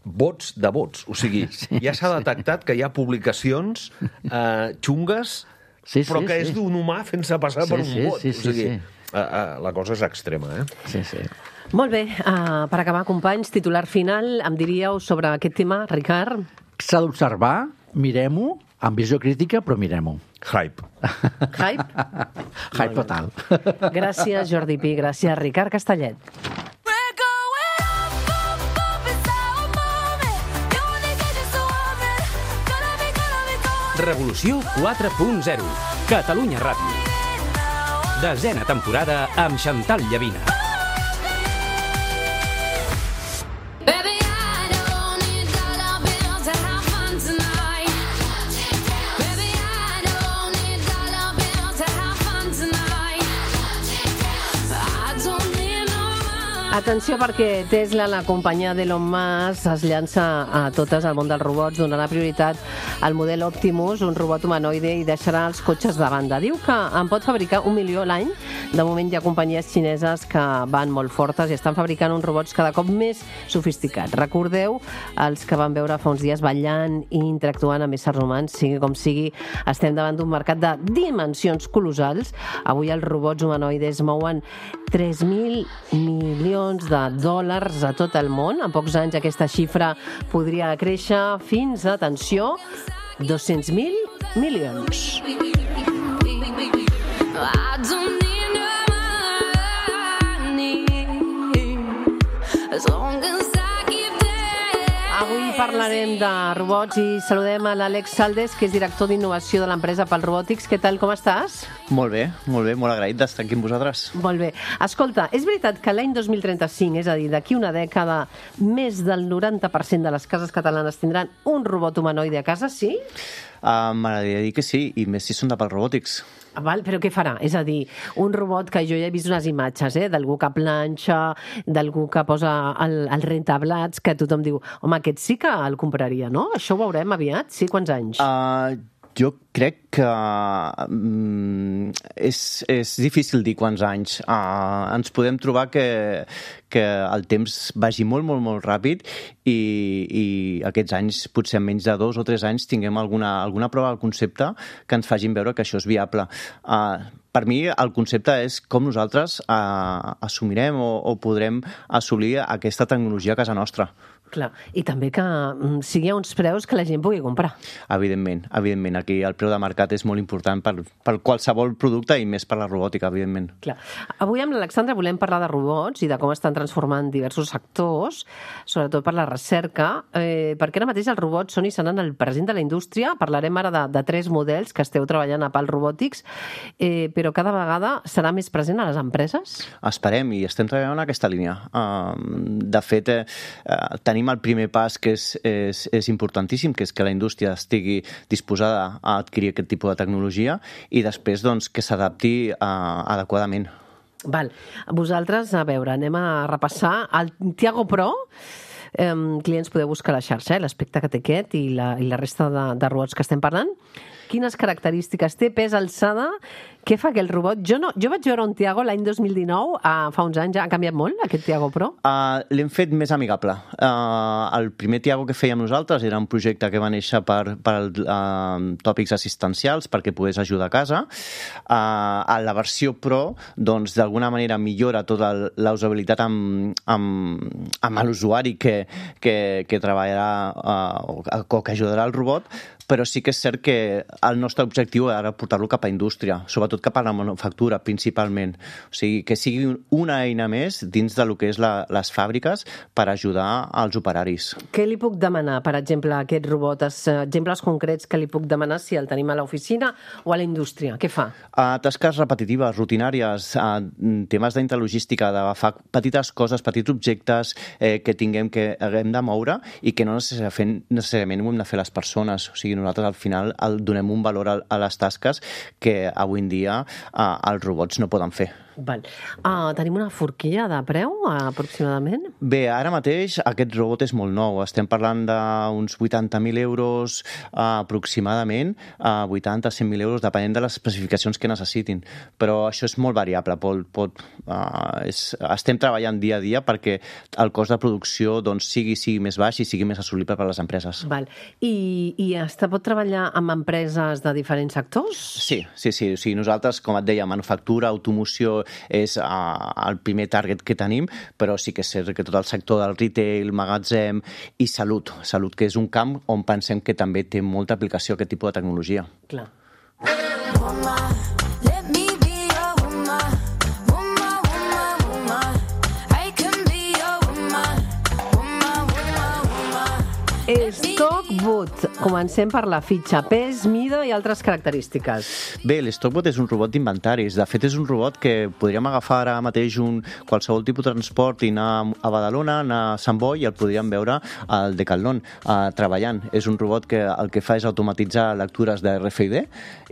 bots de bots. O sigui, sí, ja s'ha detectat que hi ha publicacions eh, xungues
Sí, sí,
però que
sí.
és d'un humà fent-se passar
Sí,
per un
sí,
bot.
sí, sí,
o sigui,
sí.
Uh, uh, la cosa és extrema, eh?
Sí, sí.
Molt bé, uh, per acabar, companys, titular final, em diríeu sobre aquest tema, Ricard?
S'ha d'observar, mirem-ho, amb visió crítica, però mirem-ho.
Hype.
Hype?
Hype total.
Gràcies, Jordi Pi, gràcies, Ricard Castellet.
Revolució quatre punt zero. Catalunya Ràdio. Desena temporada amb Chantal Llavina.
Atenció, perquè Tesla, la companyia d'Elon Musk, es llança a totes al món dels robots, donarà prioritat al model Optimus, un robot humanoide, i deixarà els cotxes de banda. Diu que en pot fabricar un milió l'any. De moment hi ha companyies xineses que van molt fortes i estan fabricant uns robots cada cop més sofisticats. Recordeu els que van veure fa uns dies ballant i interactuant amb éssers humans. Sigui com sigui, estem davant d'un mercat de dimensions colossals. Avui els robots humanoides mouen tres mil milions de dòlars a tot el món. En pocs anys aquesta xifra podria créixer fins, atenció, dos-cents mil milions. Avui parlarem de robots i saludem a l'Àlex Saldes, que és director d'innovació de l'empresa Pal Robotics. Què tal, com estàs?
Molt bé, molt bé, molt agraït d'estar aquí amb vosaltres.
Molt bé. Escolta, és veritat que l'any dos mil trenta-cinc, és a dir, d'aquí una dècada, més del noranta per cent de les cases catalanes tindran un robot humanoide a casa, sí?
Uh, M'agradaria dir que sí, i més si són de Pal Robotics.
Val, però què farà? És a dir, un robot que jo ja he vist unes imatges, eh? D'algú que planxa, d'algú que posa el, el rentablats, que tothom diu, home, aquest sí que el compraria, no? Això ho veurem aviat? Sí, quants anys?
Uh, jo crec que um, és, és difícil dir quants anys. Uh, ens podem trobar que, que el temps vagi molt, molt, molt ràpid i, i aquests anys, potser en menys de dos o tres anys, tinguem alguna, alguna prova del concepte que ens facin veure que això és viable. Uh, per mi, el concepte és com nosaltres uh, assumirem o, o podrem assolir aquesta tecnologia a casa nostra.
Clar, i també que mm, sigui a uns preus que la gent pugui comprar.
Evidentment, evidentment. Aquí el preu de mercat és molt important per, per qualsevol producte i més per la robòtica, evidentment.
Clar. Avui amb l'Alexandra volem parlar de robots i de com estan transformant diversos sectors, sobretot per la recerca, eh, perquè ara mateix els robots són i seran el present de la indústria. Parlarem ara de, de tres models que esteu treballant a Pal Robotics, eh, però cada vegada serà més present a les empreses?
Esperem, i estem treballant en aquesta línia. Uh, de fet, eh, tenim el primer pas que és, és, és importantíssim, que és que la indústria estigui disposada a adquirir aquest tipus de tecnologia i després doncs, que s'adapti uh, adequadament.
Val. Vosaltres, a veure, anem a repassar el Tiago Pro. Eh, clients podeu buscar a la xarxa, eh, l'aspecte que té aquest i la, i la resta de, de robots que estem parlant. Quines característiques té, pes, alçada? Què fa aquell robot? Jo, no, jo vaig veure un Tiago l'any dos mil dinou, uh, fa uns anys, ja ha canviat molt, aquest Tiago Pro?
Uh, L'hem fet més amigable. Uh, el primer Tiago que fèiem nosaltres era un projecte que va néixer per, per uh, tòpics assistencials, perquè pogués ajudar a casa. Uh, a la versió Pro, doncs, d'alguna manera millora tota la usabilitat amb, amb, amb l'usuari que, que, que treballarà uh, o que ajudarà al robot, però sí que és cert que el nostre objectiu era portar-lo cap a indústria, sobretot cap a la manufactura, principalment. O sigui, que sigui una eina més dins de lo que és la, les fàbriques per ajudar als operaris.
Què li puc demanar, per exemple, a aquest robot? Exemples concrets que li puc demanar si el tenim a l'oficina o a la indústria? Què fa?
Uh, tasques repetitives, rutinàries, uh, temes d'intralogística, d'agafar petites coses, petits objectes eh, que tinguem que haguem de moure i que no necessàriament ho hem de fer les persones. O sigui, nosaltres al final el donem un valor a, a les tasques que avui en dia eh, els robots no poden fer.
Val. Uh, tenim una forquilla de preu, aproximadament?
Bé, ara mateix aquest robot és molt nou. Estem parlant d'uns vuitanta mil euros uh, aproximadament, uh, vuitanta a cent mil euros, depenent de les especificacions que necessitin. Però això és molt variable. Pot, pot, uh, és, estem treballant dia a dia perquè el cost de producció doncs, sigui, sigui més baix i sigui més assolible per a les empreses.
Val. I, i es pot treballar amb empreses de diferents sectors?
Sí, sí, sí. O sigui, nosaltres, com et deia, manufactura, automoció, és uh, el primer target que tenim, però sí que és cert que tot el sector del retail, magatzem i salut, salut que és un camp on pensem que també té molta aplicació aquest tipus de tecnologia.
Clar. Stockbot. Comencem per la fitxa. Pes, mida i altres característiques.
Bé, l'Stockbot és un robot d'inventaris. De fet, és un robot que podríem agafar ara mateix un qualsevol tipus de transport i anar a Badalona, anar a Sant Boi i el podríem veure al Decathlon uh, treballant. És un robot que el que fa és automatitzar lectures de R F I D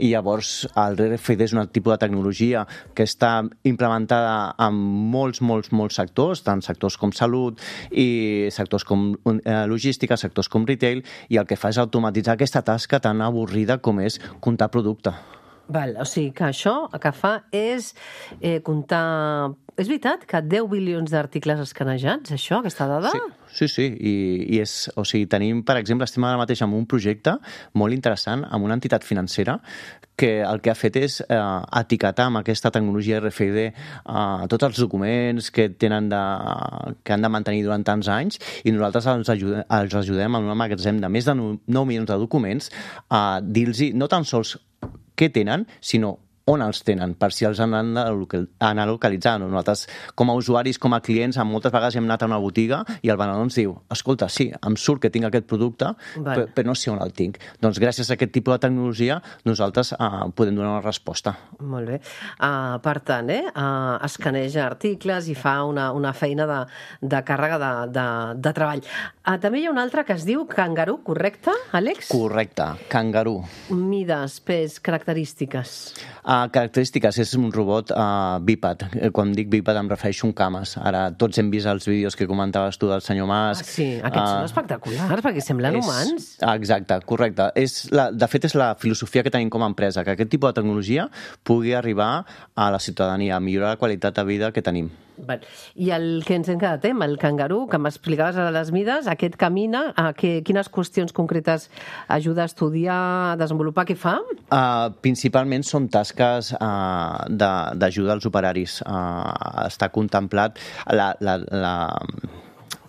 i llavors el R F I D és un tipus de tecnologia que està implementada en molts, molts, molts sectors, tant sectors com salut i sectors com uh, logística, sectors com retail, i el que fa és automatitzar aquesta tasca tan avorrida com és comptar producte.
Val, o sigui que això el que fa és eh, comptar... És veritat que deu bilions d'articles escanejats, això, aquesta dada?
Sí, sí, sí. I, i és, o sigui, tenim, per exemple, estem ara mateix amb un projecte molt interessant amb una entitat financera que el que ha fet és eh, etiquetar amb aquesta tecnologia R F I D eh, tots els documents que tenen de, que han de mantenir durant tants anys, i nosaltres els ajudem, els ajudem en un magatzem de més de nou milions de documents a dir-los no tan sols què tenen, sinó on els tenen, per si els han d'anar localitzant. Nosaltres, com a usuaris, com a clients, moltes vegades hem anat a una botiga i el venedor ens diu, escolta, sí, em surt que tinc aquest producte, però, però no sé on el tinc. Doncs gràcies a aquest tipus de tecnologia nosaltres uh, podem donar una resposta.
Molt bé. Uh, per tant, eh, uh, escaneja articles i fa una, una feina de, de càrrega de, de, de treball. Uh, també hi ha un altre que es diu Kangaroo, correcte, Àlex?
Correcte, Kangaroo.
Mides, pes, característiques...
Uh, característiques, és un robot uh, bíped. Quan dic bíped em refereixo a un cames. Ara tots hem vist els vídeos que comentaves tu del senyor Mas.
Ah, sí, aquests uh, són espectaculars, perquè semblen
és,
humans.
Exacte, correcte. És la, de fet, és la filosofia que tenim com a empresa, que aquest tipus de tecnologia pugui arribar a la ciutadania, a millorar la qualitat de vida que tenim.
Val. I el que ens hem quedat amb el Kangaroo, que m'explicaves a les mides, aquest camina, a que, quines qüestions concretes ajuda a estudiar, a desenvolupar, què fa?
Uh, principalment són tasques uh, d'ajuda als operaris. Uh, està contemplat la... la, la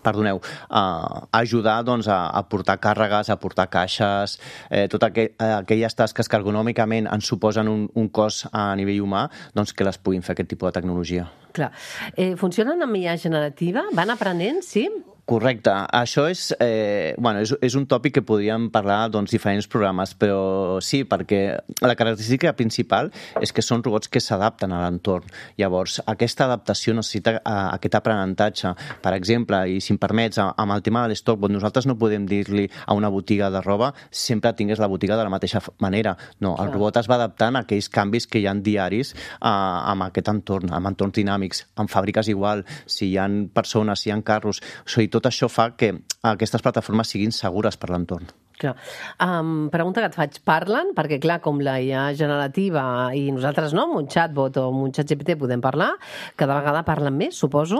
perdoneu, uh, ajudar doncs, a, a portar càrregues, a portar caixes, eh, totes aqu aquelles tasques que ergonòmicament ens suposen un, un cost a nivell humà, doncs que les puguin fer aquest tipus de tecnologia.
Clar. Eh, funcionen amb I A generativa? Van aprenent, sí?
Correcte. Això és, eh, bueno, és, és un tòpic que podríem parlar doncs, diferents programes, però sí, perquè la característica principal és que són robots que s'adapten a l'entorn. Llavors, aquesta adaptació necessita uh, aquest aprenentatge. Per exemple, i si em permets, amb el tema de l'Stockbot, nosaltres no podem dir-li a una botiga de roba sempre tingués la botiga de la mateixa manera. No, el robot es va adaptant a aquells canvis que hi ha diaris uh, amb aquest entorn, amb entorns dinàmics. En fàbriques igual, si hi ha persones, si hi ha carros, o sigui, tot això fa que aquestes plataformes siguin segures per l'entorn.
Clar. Um, pregunta que et faig. Parlen? Perquè, clar, com la I A generativa i nosaltres no, amb un chatbot o amb un chat G P T podem parlar, cada vegada parlen més, suposo?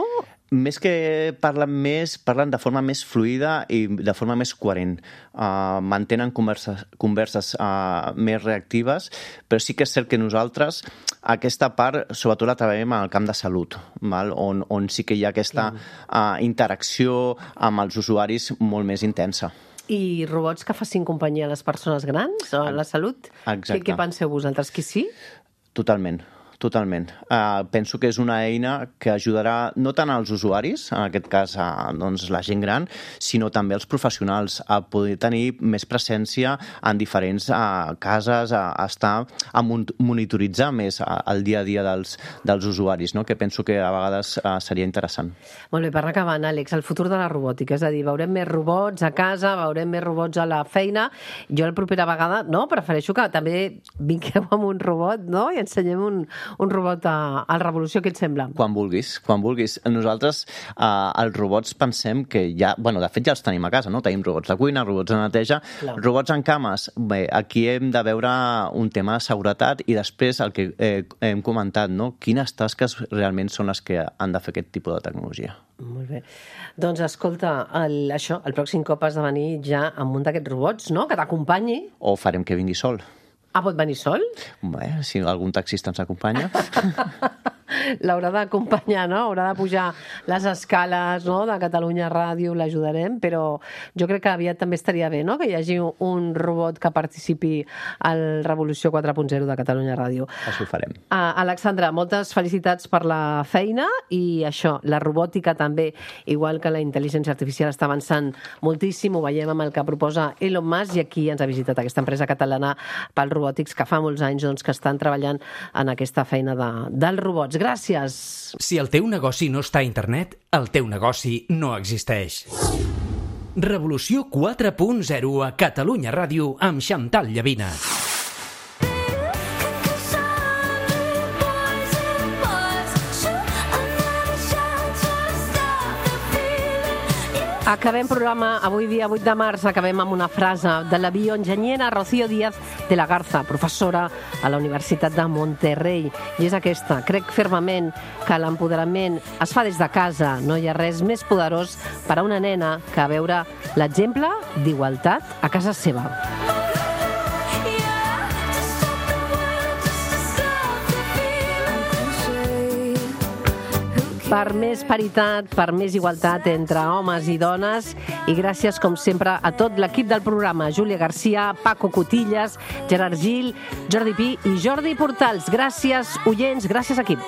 Més que parlen més, parlen de forma més fluida i de forma més coherent. Uh, mantenen converses, converses uh, més reactives, però sí que és cert que nosaltres aquesta part, sobretot la treballem en el camp de salut, val? On, on sí que hi ha aquesta uh, interacció amb els usuaris molt més intensa.
I robots que facin companyia a les persones grans o a la salut?
Exacte.
Què, què penseu vosaltres, que sí?
Totalment. Totalment. Uh, penso que és una eina que ajudarà no tant als usuaris, en aquest cas a doncs, la gent gran, sinó també als professionals a poder tenir més presència en diferents uh, cases, a, a estar a monitoritzar més uh, el dia a dia dels, dels usuaris, no? Que penso que a vegades uh, seria interessant.
Molt bé, per anar acabant, Àlex, el futur de la robòtica, és a dir, veurem més robots a casa, veurem més robots a la feina. Jo la propera vegada, no, prefereixo que també vingueu amb un robot, no?, i ensenyem un un robot a, a Revolució, què et sembla?
Quan vulguis, quan vulguis. Nosaltres, eh, els robots pensem que ja... Bueno, de fet ja els tenim a casa, no? Tenim robots de cuina, robots de neteja, Clar. robots en cames. Bé, aquí hem de veure un tema de seguretat i després el que eh, hem comentat, no? Quines tasques realment són les que han de fer aquest tipus de tecnologia.
Molt bé. Doncs escolta, el, això, el pròxim cop has de venir ja amb un d'aquests robots, no?, que t'acompanyi.
O farem que vingui sol.
Ah, pot venir sol?
Bé, si algun taxista ens acompanya.
L'haurà d'acompanyar, no? Haurà de pujar les escales, no?, de Catalunya Ràdio, l'ajudarem, però jo crec que aviat també estaria bé, no?, que hi hagi un robot que participi al Revolució quatre punt zero de Catalunya Ràdio.
Això ho farem.
Uh, Alexandra, moltes felicitats per la feina i això, la robòtica també, igual que la intel·ligència artificial està avançant moltíssim, ho veiem amb el que proposa Elon Musk, i aquí ens ha visitat aquesta empresa catalana pel robòtics que fa molts anys doncs, que estan treballant en aquesta feina de, dels robots. Gràcies.
Si el teu negoci no està a internet, el teu negoci no existeix. Revolució quatre punt zero a Catalunya Ràdio amb Xantal Llavina.
Acabem programa avui dia vuit de març, acabem amb una frase de la bioenginyera Rocío Díaz de la Garza, professora a la Universitat de Monterrey. I és aquesta: crec fermament que l'empoderament es fa des de casa. No hi ha res més poderós per a una nena que veure l'exemple d'igualtat a casa seva. Per més paritat, per més igualtat entre homes i dones, i gràcies, com sempre, a tot l'equip del programa: Júlia Garcia, Paco Cotillas, Gerard Gil, Jordi Pi i Jordi Portals. Gràcies, oients, gràcies, equip.